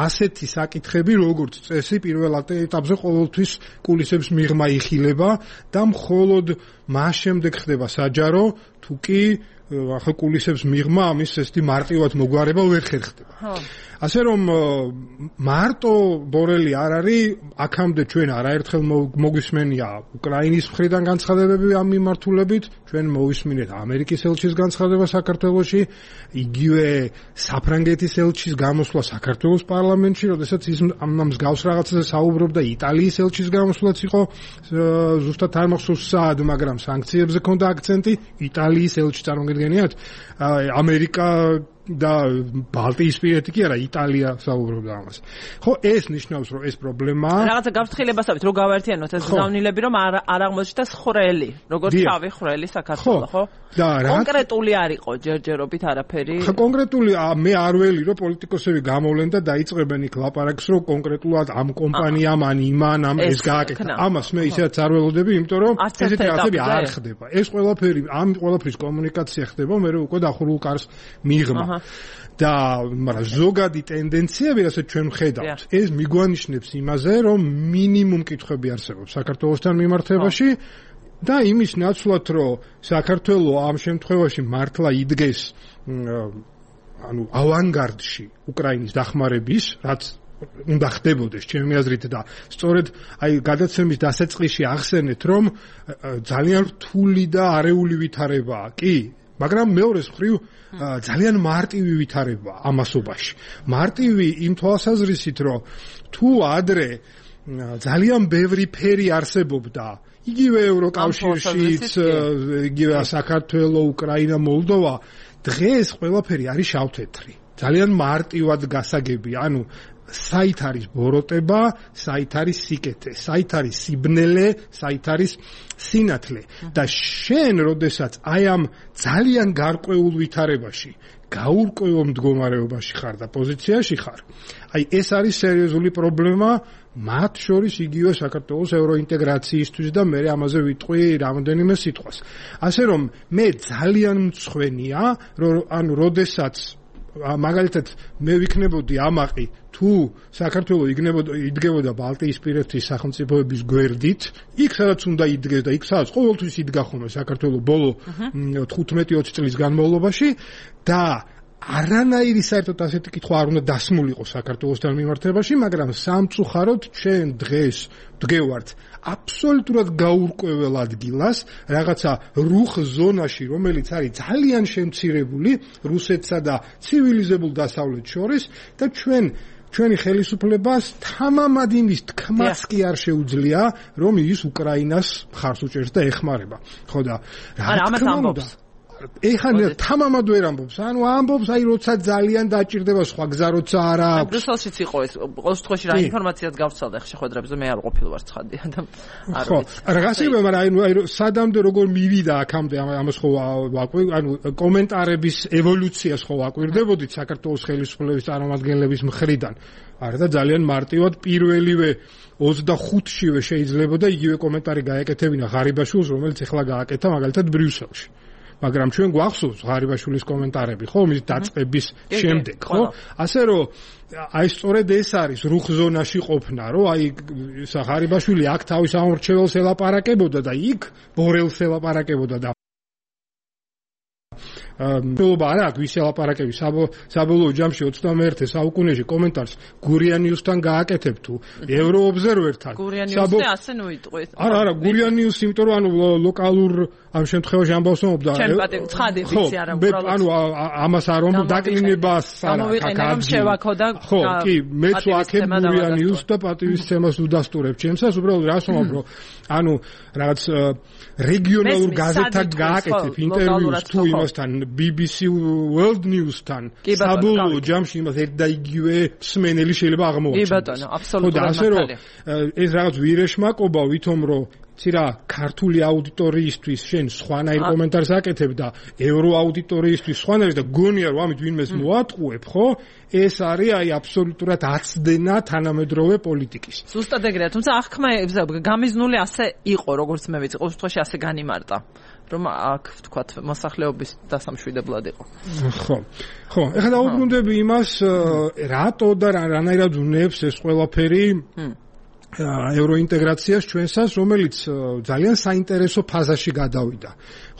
ასეთი საკითხები როგორც წესი პირველ ეტაპზე ყოველთვის კულისებს მიღმა იხილება და მხოლოდ მას შემდეგ ხდება საჯარო, თუ კი ახლა კულისებს მიღმა ამის ესეთი მარტივად მოგვარება ვერ ხერხდება. ასე რომ მარტო ბორელი არ არის აქამდე ჩვენ არაერთხელ მოგვისმენია უკრაინის მხრიდან განცხადებები ამ მიმართულებით ჩვენ მოვისმინეთ ამერიკის ელჩის განცხადება საქართველოში იგივე საფრანგეთის ელჩის გამოსვლა საქართველოს პარლამენტში როდესაც ის ამ მსგავს რაღაცაზე საუბრობდა იტალიის ელჩის გამოსვლაც იყო ზუსტად არ მახსოვს სად მაგრამ სანქციებზე ქონდა აქცენტი იტალიის ელჩი წარმოგიდგენიათ ამერიკა და ბალტიისპირეთი კი არა იტალია საუბრობდა ამას. ხო ეს ნიშნავს რომ ეს პრობლემაა. რაღაცა გავფრთხილებასავით რომ გავაერთიანოთ ეს ზავნილები რომ არ არ აღმოჩნდეს ხრელი, როგორც თავი ხრელი საქართველოს, ხო? და კონკრეტული არ იყო ჯერჯერობით არაფერი. ხო კონკრეტული მე არ ველი რომ პოლიტიკოსები გამოვლენ და დაიწყებენ იქ ლაპარაკს რომ კონკრეტულად ამ კომპანიამ ან იმან ამ ეს გააკეთა. ამას მე ისედაც არ ველოდები, იმიტომ რომ ესეთი რაღაცები არ ხდება. ეს ყველაფერი ამ ყველაფრის კომუნიკაცია ხდება მე რომ უკვე დახურულ კარს მიიღმა. და მაგრამ ზოგადი ტენდენციები რასაც ჩვენ ვხედავთ ეს მიგვანიშნებს იმაზე რომ მინიმუმ კითხვები არსებობს საქართველოსთან მიმართებაში და იმის ნაცვლად რომ საქართველოს ამ შემთხვევაში მართლა იდგეს ანუ ავანგარდში უკრაინის დახმარების რაც უნდა ხდებოდეს ჩემი აზრით და სწორედ აი გადაცემის დასაწყისში ახსენეთ რომ ძალიან რთული და არეული ვითარებაა კი მაგრამ მეორეს მხრივ ძალიან მარტივი ვითარება ამასობაში. მარტივი იმ თვალსაზრისით, რომ თუ ადრე ძალიან ბევრი ფერი არსებობდა, იგივე ევროკავშირშიც, იგივე საქართველოს, უკრაინა, მოლდოვა, დღეს ყველაფერი არის შავთეთრი. ძალიან მარტივად გასაგები, ანუ საით არის ბოროტება, საით არის სიკეთე, საით არის სიბნელე, საით არის სინათლე და შენ როდესაც აი ამ ძალიან გარკვეულ ვითარებაში გაურკვევო მდგომარეობაში ხარ და პოზიციაში ხარ, აი ეს არის სერიოზული პრობლემა მათ შორის იგივე საქართველოს ევროინტეგრაციისთვის და მე ამაზე ვიტყვი რამდენიმე სიტყვას. ასე რომ მე ძალიან მწხვენია, რომ ანუ როდესაც მაგალითად მე ვიქნებოდი ამაყი თუ საქართველოს იდგებოდა ბალტიისპირეთის სახელმწიფოების გვერდით, იქ სადაც უნდა იდგეს და იქ სადაც ყოველთვის იდგა ხოლმე საქართველოს ბოლო თხუთმეტი ოცი წლის განმავლობაში და არანაირი საერთოდ ასეთი კითხვა არ უნდა დასმულიყო საქართველოსთან მიმართებაში, მაგრამ სამწუხაროდ ჩვენ დღეს ვდგევართ აბსოლუტურად გაურკვეველ ადგილას, რაღაცა რუხ ზონაში, რომელიც არის ძალიან შემცირებული რუსეთსა და ცივილიზებულ დასავლეთს შორის და ჩვენ ჩვენი ხელისუფლებას თამამად იმის თქმაც კი არ შეუძლია, რომ ის უკრაინას მხარს უჭერს და ეხმარება. ხო და რა თქმა უნდა ეხლა თამამად ვერ ამბობს, ანუ ამბობს აი როცა ძალიან დაჭირდება სხვა გზა როცა არ აქვს. ბრუსელშიც იყო ეს, ყოველ შემთხვევაში რა ინფორმაციაც გავცალდა ხე შეხვედრებზე, მე არ ყოფილი ვარ ცხადია და არ ვიცი. ხო, რაღაცა მაგრამ აი სადამდე როგორ მივიდა აქამდე ამას ხო ვაკვირ, ანუ კომენტარების ევოლუციას ხო ვაკვირდებოდით საქართველოს ხელისუფლების წარმომადგენლების მხრიდან. არა და ძალიან მარტივად პირველივე ოცდახუთშივე შეიძლება და იგივე კომენტარი გაეკეთებინა ღარიბაშვილს, რომელიც ახლა გააკეთა მაგალითად ბრიუსელში. მაგრამ ჩვენ გვახსოვს ღარიბაშვილის კომენტარები, ხო, მის დაწყების შემდეგ, ხო? ასე რომ აი სწორედ ეს არის რუხ ზონაში ყოფნა, რომ აი ღარიბაშვილი აქ თავის ამორჩეველს ელაპარაკებოდა და იქ ბორელს ელაპარაკებოდა და მოლობა არა აქვს ისი ელაპარაკები საბოლოო ჯამში ოცდამეერთე საუკუნეში კომენტარს გურიანიუსთან გააკეთებ თუ ევროობზერვერთან გურიანიუსზე ასე ნუიტყვით არა არა გურიანიუსი იმიტომ რომ ანუ ლოკალურ ამ შემთხვევაში ამბავს მომობდა ჩემ პატივ ცხადი ვიცი არა უბრალოდ ანუ ამას არ რომ დაკლინებას არა გამოვიყენე შევაქო და ხო კი მეც ვაქებ გურიანიუსს და პატივისცემას უდასტურებ ჩემსას უბრალოდ რას ვამბობ ანუ რაღაც რეგიონალურ გაზეთთან გააკეთებ ინტერვიუს თუ იმასთან B B C World News-თან საბოლოო ჯამში იმას ერთ და იგივე მსმენელი შეიძლება აღმოაჩინოს. კი ბატონო, აბსოლუტურად მართალია. ასე რომ ეს რაღაც ვირეშმაკობა ვითომ რომ ცირა ქართული აუდიტორიისთვის შენ სხვანაირ კომენტარს აკეთებ და ევრო აუდიტორიისთვის სხვანაირ და გონია რომ ამით ვინმეს მოატყუებ, ხო? ეს არის აი აბსოლუტურად აცდენა თანამედროვე პოლიტიკის. ზუსტად ეგრეა, თუმცა აღქმა გამიზნული ასე იყო, როგორც მე ვიცი, ყოველ შემთხვევაში ასე განიმარტა. რომ აქ ვთქვათ მოსახლეობის დასამშვიდებლად იყო. ხო. ხო, ეხლა დაუბრუნდები იმას, რატო და რანაირად უნებს ეს ყველაფერი ევროინტეგრაციას ჩვენსას, რომელიც ძალიან საინტერესო ფაზაში გადავიდა.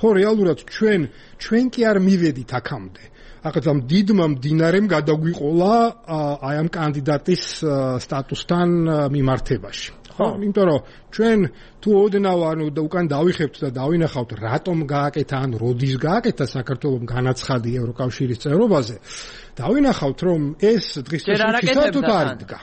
ხო, რეალურად ჩვენ ჩვენ კი არ მივედით აქამდე. ახლა ამ დიდმა მდინარემ გადაგვიყოლა აი ამ კანდიდატის სტატუსთან მიმართებაში. ხო, იმიტომ რომ ჩვენ თუ ოდნავ ანუ უკან დავიხებთ და დავინახავთ რატომ გააკეთა ან როდის გააკეთა საქართველოს განაცხადი ევროკავშირის წევრობაზე დავინახავთ რომ ეს დღის წესრიგი საერთოდ არ იდგა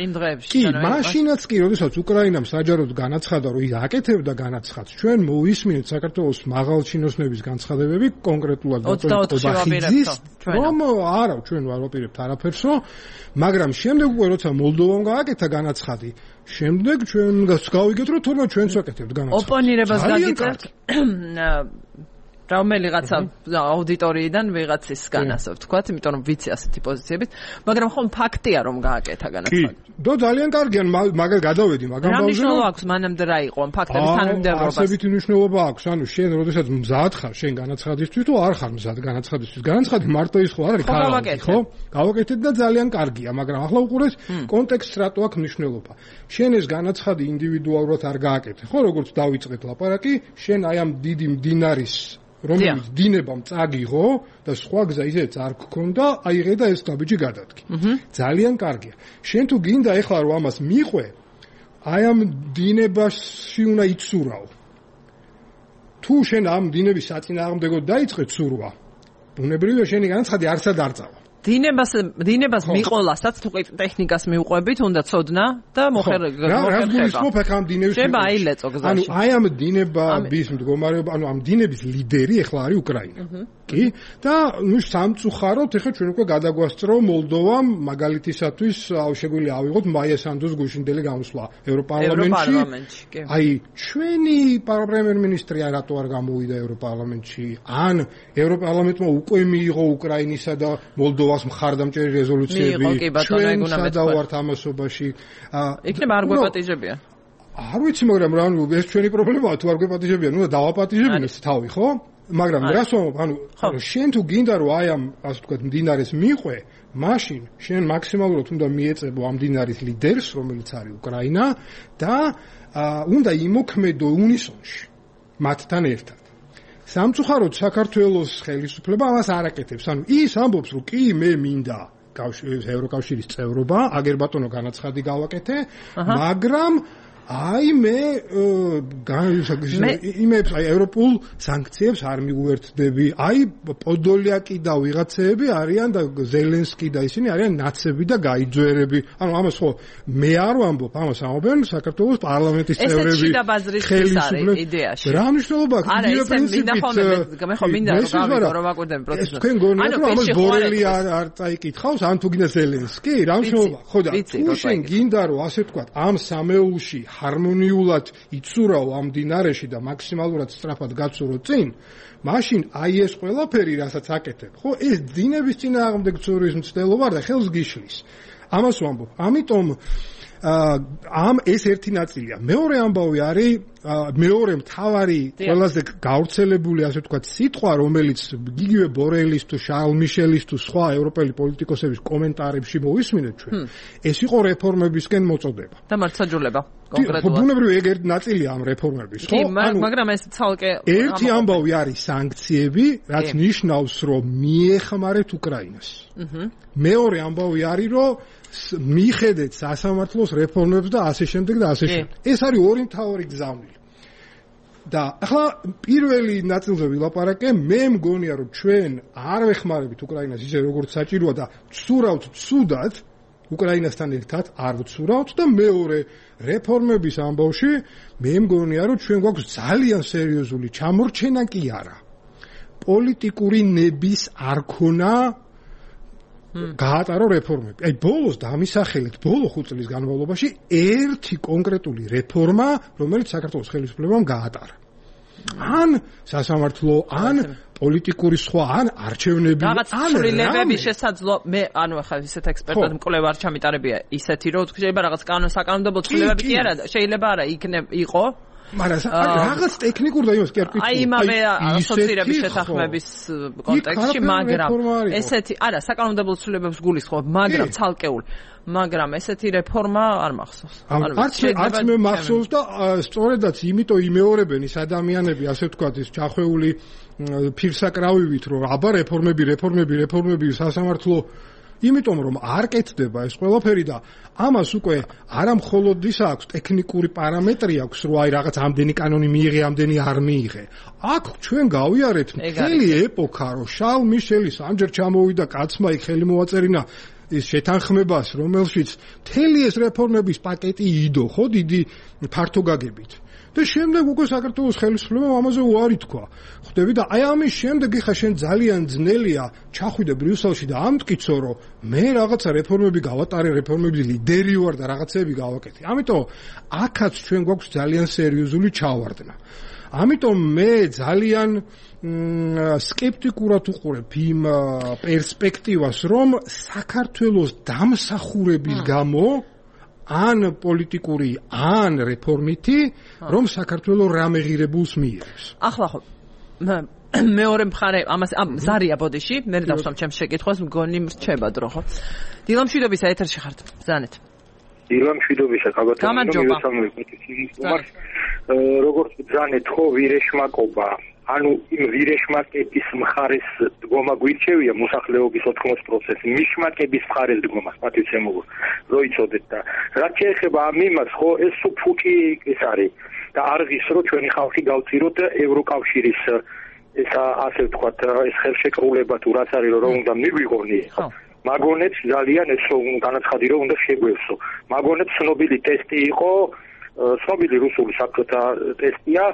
იმ დღეებში კი მაშინაც კი როდესაც უკრაინამ საჯაროდ განაცხადა რომ ის აკეთებდა განაცხადს ჩვენ მოვისმინეთ საქართველოს მაღალჩინოსნების განცხადებები კონკრეტულად ოთხდაოთხ რომ არა ჩვენ არ ვაპირებთ არაფერსო მაგრამ შემდეგ უკვე როცა მოლდოვამ გააკეთა განაცხადი შემდეგ ჩვენ გავიგეთ რომ თორემ ჩვენც ვაკეთებთ განაცხადს ოპონირებას გაგიწერთ რომელიღაცა აუდიტორიიდან ვიღაცის განასო ვთქვათ, იმიტომ რომ ვიცი ასეთი პოზიციებით, მაგრამ ხომ ფაქტია რომ გააკეთა განაცხადი. კი, და ძალიან კარგია, მაგალ გადავედი, მაგრამ ბავშვი. რა მნიშვნელობა აქვს მანამდე რა იყო ამ ფაქტების თანმიმდევრობას? ასეთი მნიშვნელობა აქვს, ანუ შენ როდესაც მზად ხარ შენ განაცხადისთვის თუ არ ხარ მზად განაცხადისთვის. განაცხადი მარტო ის ხო არ არის თავი, ხო? გავაკეთეთ და ძალიან კარგია, მაგრამ ახლა უყურეს კონტექსტს რატო აქვს მნიშვნელობა. შენ ეს განაცხადი ინდივიდუალურად არ გააკეთე, ხო, როგორც დავიწყეთ ლაპარაკი, შენ აი ამ დიდი მდინარის რომელიც დინებამ წაგიღო და სხვა გზა ისეც არ გქონდა, აიღე და ეს დაბიჯი გადადგე. ძალიან კარგია. შენ თუ გინდა ეხლა რომ ამას მიყვე, აი ამ დინებაში უნდა იცურაო. თუ შენ ამ დინების საწინააღმდეგოდ დაიწყე ცურვა, ბუნებრივია შენი განაცხადი არცად არ წავა. დინებას დინებას მიყოლასაც თუ ტექნიკას მიუყვებით, უნდა ცოდნა და მოხერხება. რა გულისხმობ ახლა ამ დინების შეიძლება აილეწო გზაში. ანუ აი ამ დინების მდგომარეობა, ანუ ამ დინების ლიდერი ახლა არის უკრაინა. კი და ნუ სამწუხაროდ ეხლა ჩვენ უკვე გადაგვასწრო მოლდოვამ მაგალითისათვის შეგვიძლია ავიღოთ მაია სანდოს გუშინდელი გამოსვლა ევროპარლამენტში. აი ჩვენი პრემიერ-მინისტრი რატო არ გამოვიდა ევროპარლამენტში? ან ევროპარლამენტმა უკვე მიიღო უკრაინისა და მოლდოვას მხარდამჭერი რეზოლუციები ჩვენ სადავართ ამასობაში. იქნება არ გვეპატიჟებიან. არ ვიცი, მაგრამ რა ეს ჩვენი პრობლემაა, თუ არ გვეპატიჟებიან, უნდა დავაპატიჟებინოთ თავი, ხო? მაგრამ რას ვამბობ, ანუ შენ თუ გინდა რომ აი ამ ასე ვთქვათ მდინარეს მიყვე, მაშინ შენ მაქსიმალურად უნდა მიეწებო ამ მდინარის ლიდერს, რომელიც არის უკრაინა და უნდა იმოქმედო უნისონში მათთან ერთად. სამწუხაროდ საქართველოს ხელისუფლება ამას არ აკეთებს. ანუ ის ამბობს, რომ კი მე მინდა ევროკავშირის წევრობა, აგერ ბატონო განაცხადი გავაკეთე, მაგრამ აი მე იმებს აი ევროპულ სანქციებს არ მიგვერთდები. აი პოდოლიაკი და ვიღაცეები არიან და ზელენსკი და ისინი არიან ნაცები და გაიძვერები. ანუ ამას ხო მე არ ვამბობ, ამას ამბობენ საქართველოს პარლამენტის წევრები. ხელისუფლების იდეაში. რა მნიშვნელობა აქვს იდეა პრინციპით? მე ხო მინდა რომ გავიგო რომ ვაკვირდები პროცესს. თქვენ გონიათ რომ ამას ბორელი არ არ წაიკითხავს, ან თუ გინდა ზელენსკი, რა მნიშვნელობა? ხო და თუ შენ გინდა რომ ასე ვთქვათ ამ სამეულში ჰარმონიულად იცურავ ამ მდინარეში და მაქსიმალურად სწრაფად გაცურო წინ, მაშინ აი ეს ყველაფერი, რასაც აკეთებ, ხო, ეს დინების წინააღმდეგ ცურვის მცდელობა და ხელს გიშლის. ამას ვამბობ. ამიტომ ამ ეს ერთი ნაწილია. მეორე ამბავი არის მეორე მთავარი ყველაზე გავრცელებული ასე ვთქვათ სიტყვა, რომელიც გიგივე ბორელის თუ შარლ მიშელის თუ სხვა ევროპელი პოლიტიკოსების კომენტარებში მოვისმინეთ ჩვენ. ეს იყო რეფორმებისკენ მოწოდება. და მართლმსაჯულება კონკრეტულად. ბუნებრივი ეგ ერთი ნაწილია ამ რეფორმების, ხო? მაგრამ ეს ცალკე ერთი ამბავი არის სანქციები, რაც ნიშნავს, რომ მიეხმარეთ უკრაინას. მეორე ამბავი არის, რომ მიხედეთ სასამართლოს რეფორმებს და ასე შემდეგ და ასე შემდეგ. ეს არის ორი მთავარი გზავნილი. და ახლა პირველი ნაწილზე ვილაპარაკე, მე მგონია რომ ჩვენ არ ვეხმარებით უკრაინას ისე როგორც საჭიროა და ვცურავთ ცუდად უკრაინასთან ერთად, არ ვცურავთ და მეორე რეფორმების ამბავში მე მგონია რომ ჩვენ გვაქვს ძალიან სერიოზული ჩამორჩენა კი არა. პოლიტიკური ნების არ ქონა გაატარო რეფორმები. აი ბოლოს დამისახელეთ ბოლო ხუთ წლის განმავლობაში ერთი კონკრეტული რეფორმა, რომელიც საქართველოს ხელისუფლებამ გაატარა. ან სასამართლო, ან პოლიტიკური სხვა, ან არჩევნები, ან ცვლილებების შესაძლო მე ანუ ახლა ისეთ ექსპერტად მკვლევარ არ ჩამიტარებია ისეთი რომ შეიძლება რაღაც კანონსაკანონმდებლო ცვლილებები კი არა, შეიძლება არა იქნებ იყო მაგრამ რაღაც ტექნიკურ და იმას კი არ ვკითხულობ. აი იმავე ასოცირების შეთანხმების კონტექსტში, მაგრამ ესეთი არა საკანონმდებლო ცვლილებებს გულისხმობ, მაგრამ ცალკეულ, მაგრამ ესეთი რეფორმა არ მახსოვს. ანუ არც მე მახსოვს და სწორედაც იმიტომ იმეორებენ ის ადამიანები, ასე ვთქვათ, ის ჩახვეული ფირსაკრავივით, რომ აბა რეფორმები, რეფორმები, რეფორმები სასამართლო იმიტომ რომ არ კეთდება ეს ყველაფერი და ამას უკვე არა მხოლოდ ისა აქვს ტექნიკური პარამეტრი აქვს რომ აი რაღაც ამდენი კანონი მიიღე, ამდენი არ მიიღე. აქ ჩვენ გავიარეთ მთელი ეპოქა, რომ შარლ მიშელის ამჯერ ჩამოვიდა კაცმა იქ ხელი მოაწერინა ის შეთანხმებას, რომელშიც მთელი ეს რეფორმების პაკეტი იდო, ხო, დიდი ფართოგაგებით. და შემდეგ უკვე საქართველოს ხელისუფლებამ ამაზე უარი თქვა. ხვდები და აი ამის შემდეგ ხა შენ ძალიან ძნელია ჩახვიდე ბრიუსელში და ამტკიცო რომ მე რაღაცა რეფორმები გავატარე, რეფორმების ლიდერი ვარ და რაღაცები გავაკეთე. ამიტომ აქაც ჩვენ გვაქვს ძალიან სერიოზული ჩავარდნა. ამიტომ მე ძალიან სკეპტიკურად უყურებ იმ პერსპექტივას, რომ საქართველოს დამსახურების გამო ან პოლიტიკური, ან რეფორმითი, რომ საქართველოს რამე ღირებულს მიიღებს. ახლა ხო მეორე მხარე ამას ამ ზარია ბოდიში, მე დავსვამ ჩემს შეკითხვას, მგონი მრჩება დრო ხო. დილა მშვიდობისა ეთერში ხართ. ბრძანეთ. დილა მშვიდობისა, გამარჯობა. როგორც ბრძანეთ ხო ვირეშმაკობა ანუ იმ ვირეშმაკების მხარეს დგომა გვირჩევია მოსახლეობის ოთხმოცდაოთხ პროცენტი მიშმაკების მხარეს დგომა პატიცემულო რო იცოდეთ და რაც შეეხება ამ იმას ხო ეს ფუჭი ეს არის და არღის რო ჩვენი ხალხი გავწიროთ ევროკავშირის ეს ასე ვთქვათ ეს ხელშეკრულება თუ რაც არის რომ უნდა მიგვიღონი მაგონებს ძალიან ეს განაცხადი რომ უნდა შეგვევსო მაგონებს ცნობილი ტესტი იყო ცნობილი რუსული საკუთა ტესტია,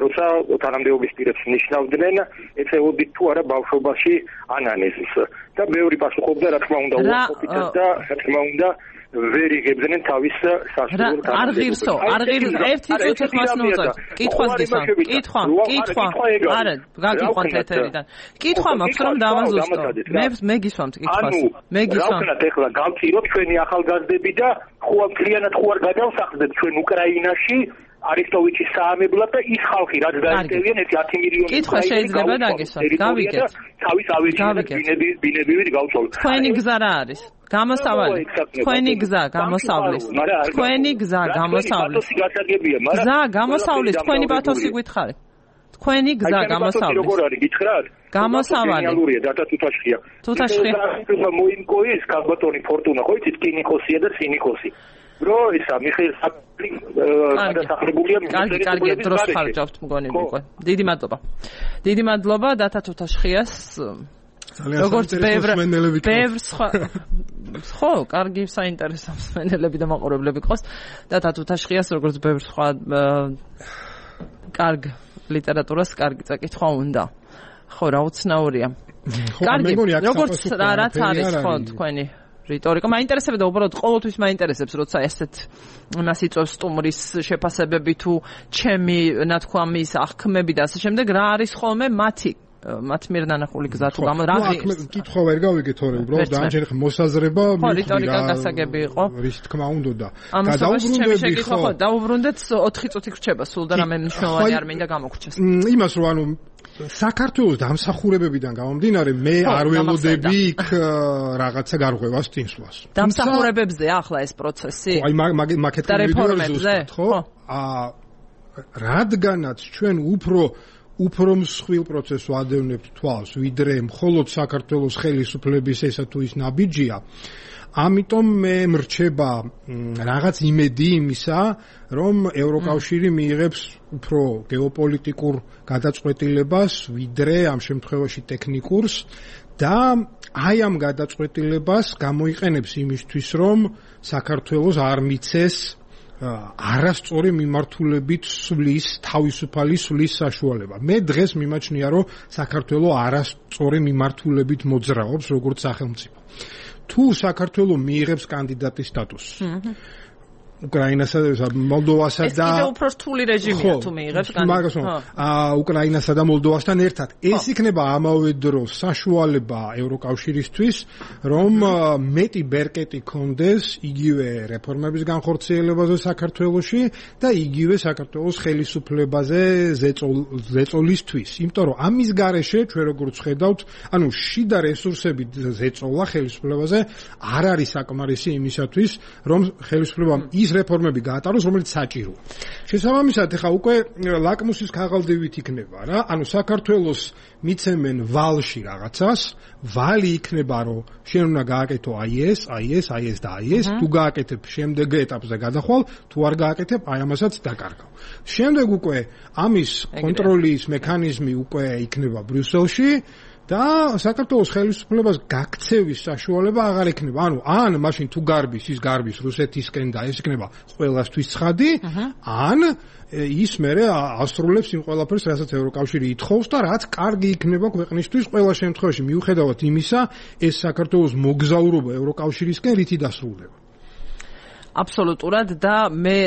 როცა თანამდებობის პირებს ნიშნავდნენ, ეწეოდით თუ არა ბავშვობაში ანანეზს. და მეორე პასუხობდა, რა თქმა უნდა, უარყოფითად და რა თქმა უნდა ვერ იღებდნენ თავის სასურველ თანამდებობას. არ ღირსო, არ ღირს, ერთი წუთი ხმას ნუწევს. კითხვას გისვამ, კითხვა, კითხვა. არა, გაგიყვანთ ეთერიდან. კითხვა მაქვს რომ დავაზუსტო. მე მე გისვამთ კითხვას. მე გისვამ. ანუ, ეხლა გავწიროთ ჩვენი ახალგაზრდები და ხო მთლიანად ხო არ გადავსახლდეთ ჩვენ უკრაინაში არისტოვიჩის საამებლად და ის ხალხი რაც დაეწევიან ერთი ათი მილიონი კითხვა შეიძლება დაგესვათ. გავიგეთ. თავის ავეჯინებს ბინები ბინებივით გავწოლოთ. თქვენი გზა რა არის? გამოსავალი. თქვენი გზა გამოსავლის. თქვენი გზა გამოსავლის. გზა გამოსავლის თქვენი პათოსი გითხარით. თქვენი გზა გამოსავლის. როგორ არის გითხრათ? გამოსავალი. რეალურია დათა თუთაშხია. თუთაშხია. მოიმკოის კაბატონი ფორტუნა ხო იცით კინიკოსია და სინიკოსი. რო ისა მიხეილ საფლი გადასახლებულია კარგი კარგი დროს ხარჯავთ მგონი უკვე დიდი მადლობა დიდი მადლობა დათა თუთაშხიას როგორც ბევრ ბევრ სხვა ხო კარგი საინტერესო მსმენელები და მაყურებლები ყავს დათა თუთაშხიას როგორც ბევრ სხვა კარგ ლიტერატურას კარგი წაკითხვა უნდა ხო რა უცნაურია კარგი როგორც რაც არის ხო თქვენი რიტორიკა მაინტერესებდა უბრალოდ ყოველთვის მაინტერესებს როცა ესეთ მას იწვევს სტუმრის შეფასებები თუ ჩემი ნათქვამის აღქმები და ასე შემდეგ რა არის ხოლმე მათი მათ მიერ ნანახული გზა თუ გამო რა ღირს კითხვა ვერ გავიგე თორე უბრალოდ დამჯერ მოსაზრება ხო რიტორიკა გასაგები იყო რის თქმა უნდა და გადაუბრუნდები ხო დაუბრუნდეთ ოთხი წუთი ხრჩება სულ და რამე მნიშვნელოვანი არ მინდა გამოგრჩეს იმას რომ ანუ საქართველოს დამსახურებებიდან გამომდინარე მე არ ველოდები იქ რაღაცა გარღვევას წინსვლას. დამსახურებებზე ახლა ეს პროცესი? აი მაგეთ რეფორმებზე, ხო? აა რადგანაც ჩვენ უფრო უფრო მსხვილ პროცესს ვადევნებთ თვალს, ვიდრე მხოლოდ საქართველოს ხელისუფლების ესა თუ ის ნაბიჯია, ამიტომ მე მრჩება რაღაც იმედი იმისა, რომ ევროკავშირი მიიღებს უფრო გეოპოლიტიკურ გადაწყვეტილებას, ვიდრე ამ შემთხვევაში ტექნიკურს და აი ამ გადაწყვეტილებას გამოიყენებს იმისთვის, რომ საქართველოს არ მიცეს არასწორი მიმართულებით სვლის, თავისუფალი სვლის საშუალება. მე დღეს მიმაჩნია, რომ საქართველოს არასწორი მიმართულებით მოძრაობს, როგორც სახელმწიფო. თუ საქართველოს მიიღებს კანდიდატის სტატუსს უკრაინასა და მოლდოვასა და ეს კიდევ უფრო რთული რეჟიმია თუ მიიღებს კანდიდატს. აა უკრაინასა და მოლდოვასთან ერთად ეს იქნება ამავე დროს საშუალება ევროკავშირისთვის, რომ მეტი ბერკეტი კონდეს იგივე რეფორმების განხორციელებაზე საქართველოში და იგივე საქართველოს ხელისუფლებაზე ზეწოლისთვის. იმიტომ რომ ამის გარეშე ჩვენ როგორც ხედავთ, ანუ შიდა რესურსები ზეწოლა ხელისუფლებაზე არ არის საკმარისი იმისათვის, რომ ხელისუფლებამ ის რეფორმები გაატაროს, რომელიც საჭიროა. შესაბამისად, ეხა უკვე ლაკმუსის ქაღალდივით იქნება რა, ანუ საქართველოს მიცემენ ვალში რაღაცას, ვალი იქნება, რომ შენ უნდა გააკეთო აი ეს, აი ეს, აი ეს და აი ეს, თუ გააკეთებ შემდეგ ეტაპზე გადახვალ, თუ არ გააკეთებ, აი ამასაც დაკარგავ. შემდეგ უკვე ამის კონტროლის მექანიზმი უკვე იქნება ბრიუსელში და საქართველოს ხელისუფლებას გაქცევის საშუალება აღარ ექნება. ანუ ან მაშინ თუ გარბის ის გარბის რუსეთისკენ და ეს იქნება ყველასთვის ცხადი, ან ის მერე ასრულებს იმ ყველაფერს, რასაც ევროკავშირი ითხოვს და რაც კარგი იქნება ქვეყნისთვის ყველა შემთხვევაში, მიუხედავად იმისა, ეს საქართველოს მოგზაურობა ევროკავშირისკენ რითი დასრულდება. აბსოლუტურად და მე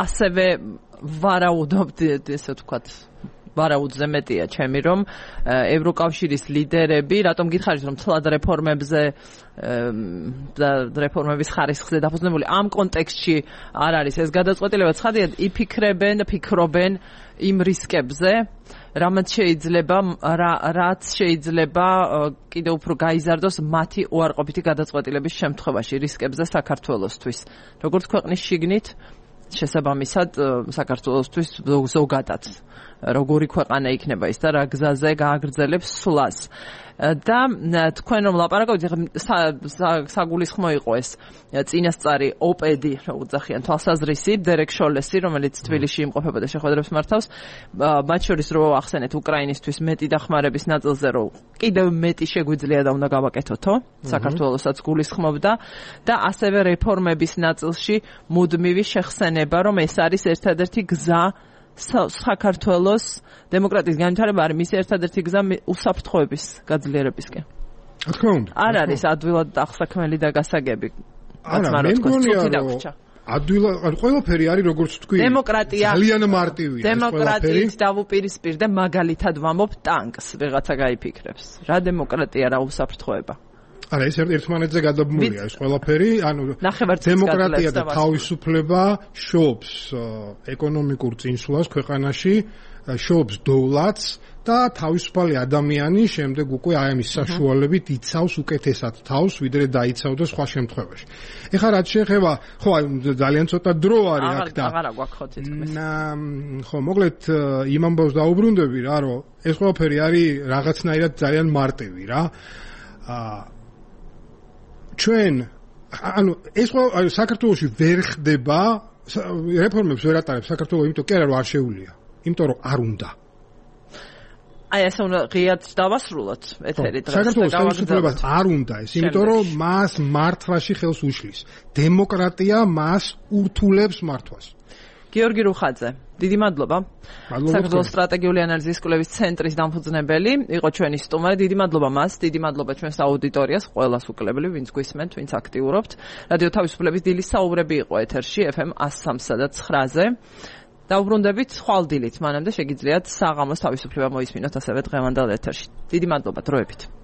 ასევე ვარაუდობ ესე ვთქვათ ვარაუდზე მეტია ჩემი რომ ევროკავშირის ლიდერები რატომ გითხარით რომ თლად რეფორმებზე და რეფორმების ხარისხზე დაფუძნებული ამ კონტექსტში არ არის ეს გადაწყვეტილება ცხადია იფიქრებენ ფიქრობენ იმ რისკებზე რამაც შეიძლება რაც შეიძლება კიდევ უფრო გაიზარდოს მათი უარყოფითი გადაწყვეტილების შემთხვევაში რისკებზე საქართველოსთვის როგორც ქვეყნის შიგნით შესაბამისად საქართველოსთვის ზოგადად როგორი ქვეყანა იქნება ის და რა გზაზე გააგრძელებს სვლას. და თქვენ რომ ლაპარაკობთ, საგულისხმო იყო ეს წინასწარი ოპედი, როგორც ძახიან, თვალსაზრისი დერეკ შოლესი, რომელიც თბილისში იმყოფებოდა შეხვედრებს მართავს, მათ შორის რო ახსენეთ უკრაინისთვის მეტი დახმარების ნაწილზე, რომ კიდევ მეტი შეგვიძლია და უნდა გავაკეთოთო, საქართველოსაც გულისხმობდა და ასევე რეფორმების ნაწილში მუდმივი შეხსენება, რომ ეს არის ერთადერთი გზა საქართველოს დემოკრატიის განვითარება არის მისი ერთადერთი გზა უსაფრთხოების გაძლიერებისკენ. რა თქმა უნდა. არ არის ადვილად აღსაქმელი და გასაგები. არა, მე მგონია რომ ადვილად ყველაფერი არის როგორც თქვი. დემოკრატია ძალიან მარტივია. დემოკრატიით დავუპირისპირ და მაგალითად ვამობ ტანკს, ვიღაცა გაიფიქრებს. რა დემოკრატია, რა უსაფრთხოება. არა, ეს ერთმანეთზე გადაბმულია ეს ყველაფერი, ანუ დემოკრატია და თავისუფლება შობს ეკონომიკურ წინსვლას ქვეყანაში, შობს დოვლათს და თავისუფალი ადამიანი შემდეგ უკვე აი ამის საშუალებით იცავს უკეთესად თავს, ვიდრე დაიცავდა სხვა შემთხვევაში. ეხლა რაც შეეხება, ხო, ძალიან ცოტა დრო არის აქ და აღარა გვაქვს ხო თითქმის. ხო, მოკლედ იმ ამბავს დაუბრუნდები რა, რომ ეს ყველაფერი არის რაღაცნაირად ძალიან მარტივი რა. აა ჩვენ ანუ ეს საქართველოში ვერ ხდება რეფორმებს ვერ ატარებს საქართველოს, იმიტომ კი არა რომ არ შეუძლია, იმიტომ რომ არ უნდა. აი ესე უნდა ღიად დავასრულოთ ეთერი დღეს. საქართველოს ხელისუფლებას არ უნდა ეს, იმიტომ რომ მას მართვაში ხელს უშლის. დემოკრატია მას ურთულებს მართვას. გიორგი რუხაძე, დიდი მადლობა. საქართველოს სტრატეგიული ანალიზის კვლევის ცენტრის დამფუძნებელი, იყო ჩვენი სტუმარი. დიდი მადლობა მას, დიდი მადლობა ჩვენს აუდიტორიას, ყველას უკლებლი, ვინც გვისმენთ, ვინც აქტიურობთ. რადიო თავისუფლების დილის საუბრები იყო ეთერში ეფ ემ one oh three და nine-ზე. დაუბრუნდებით ხვალ დილით, მანამდე შეგიძლიათ საღამოს თავისუფლება მოისმინოთ ასევე დღევანდელ ეთერში. დიდი მადლობა დროებით.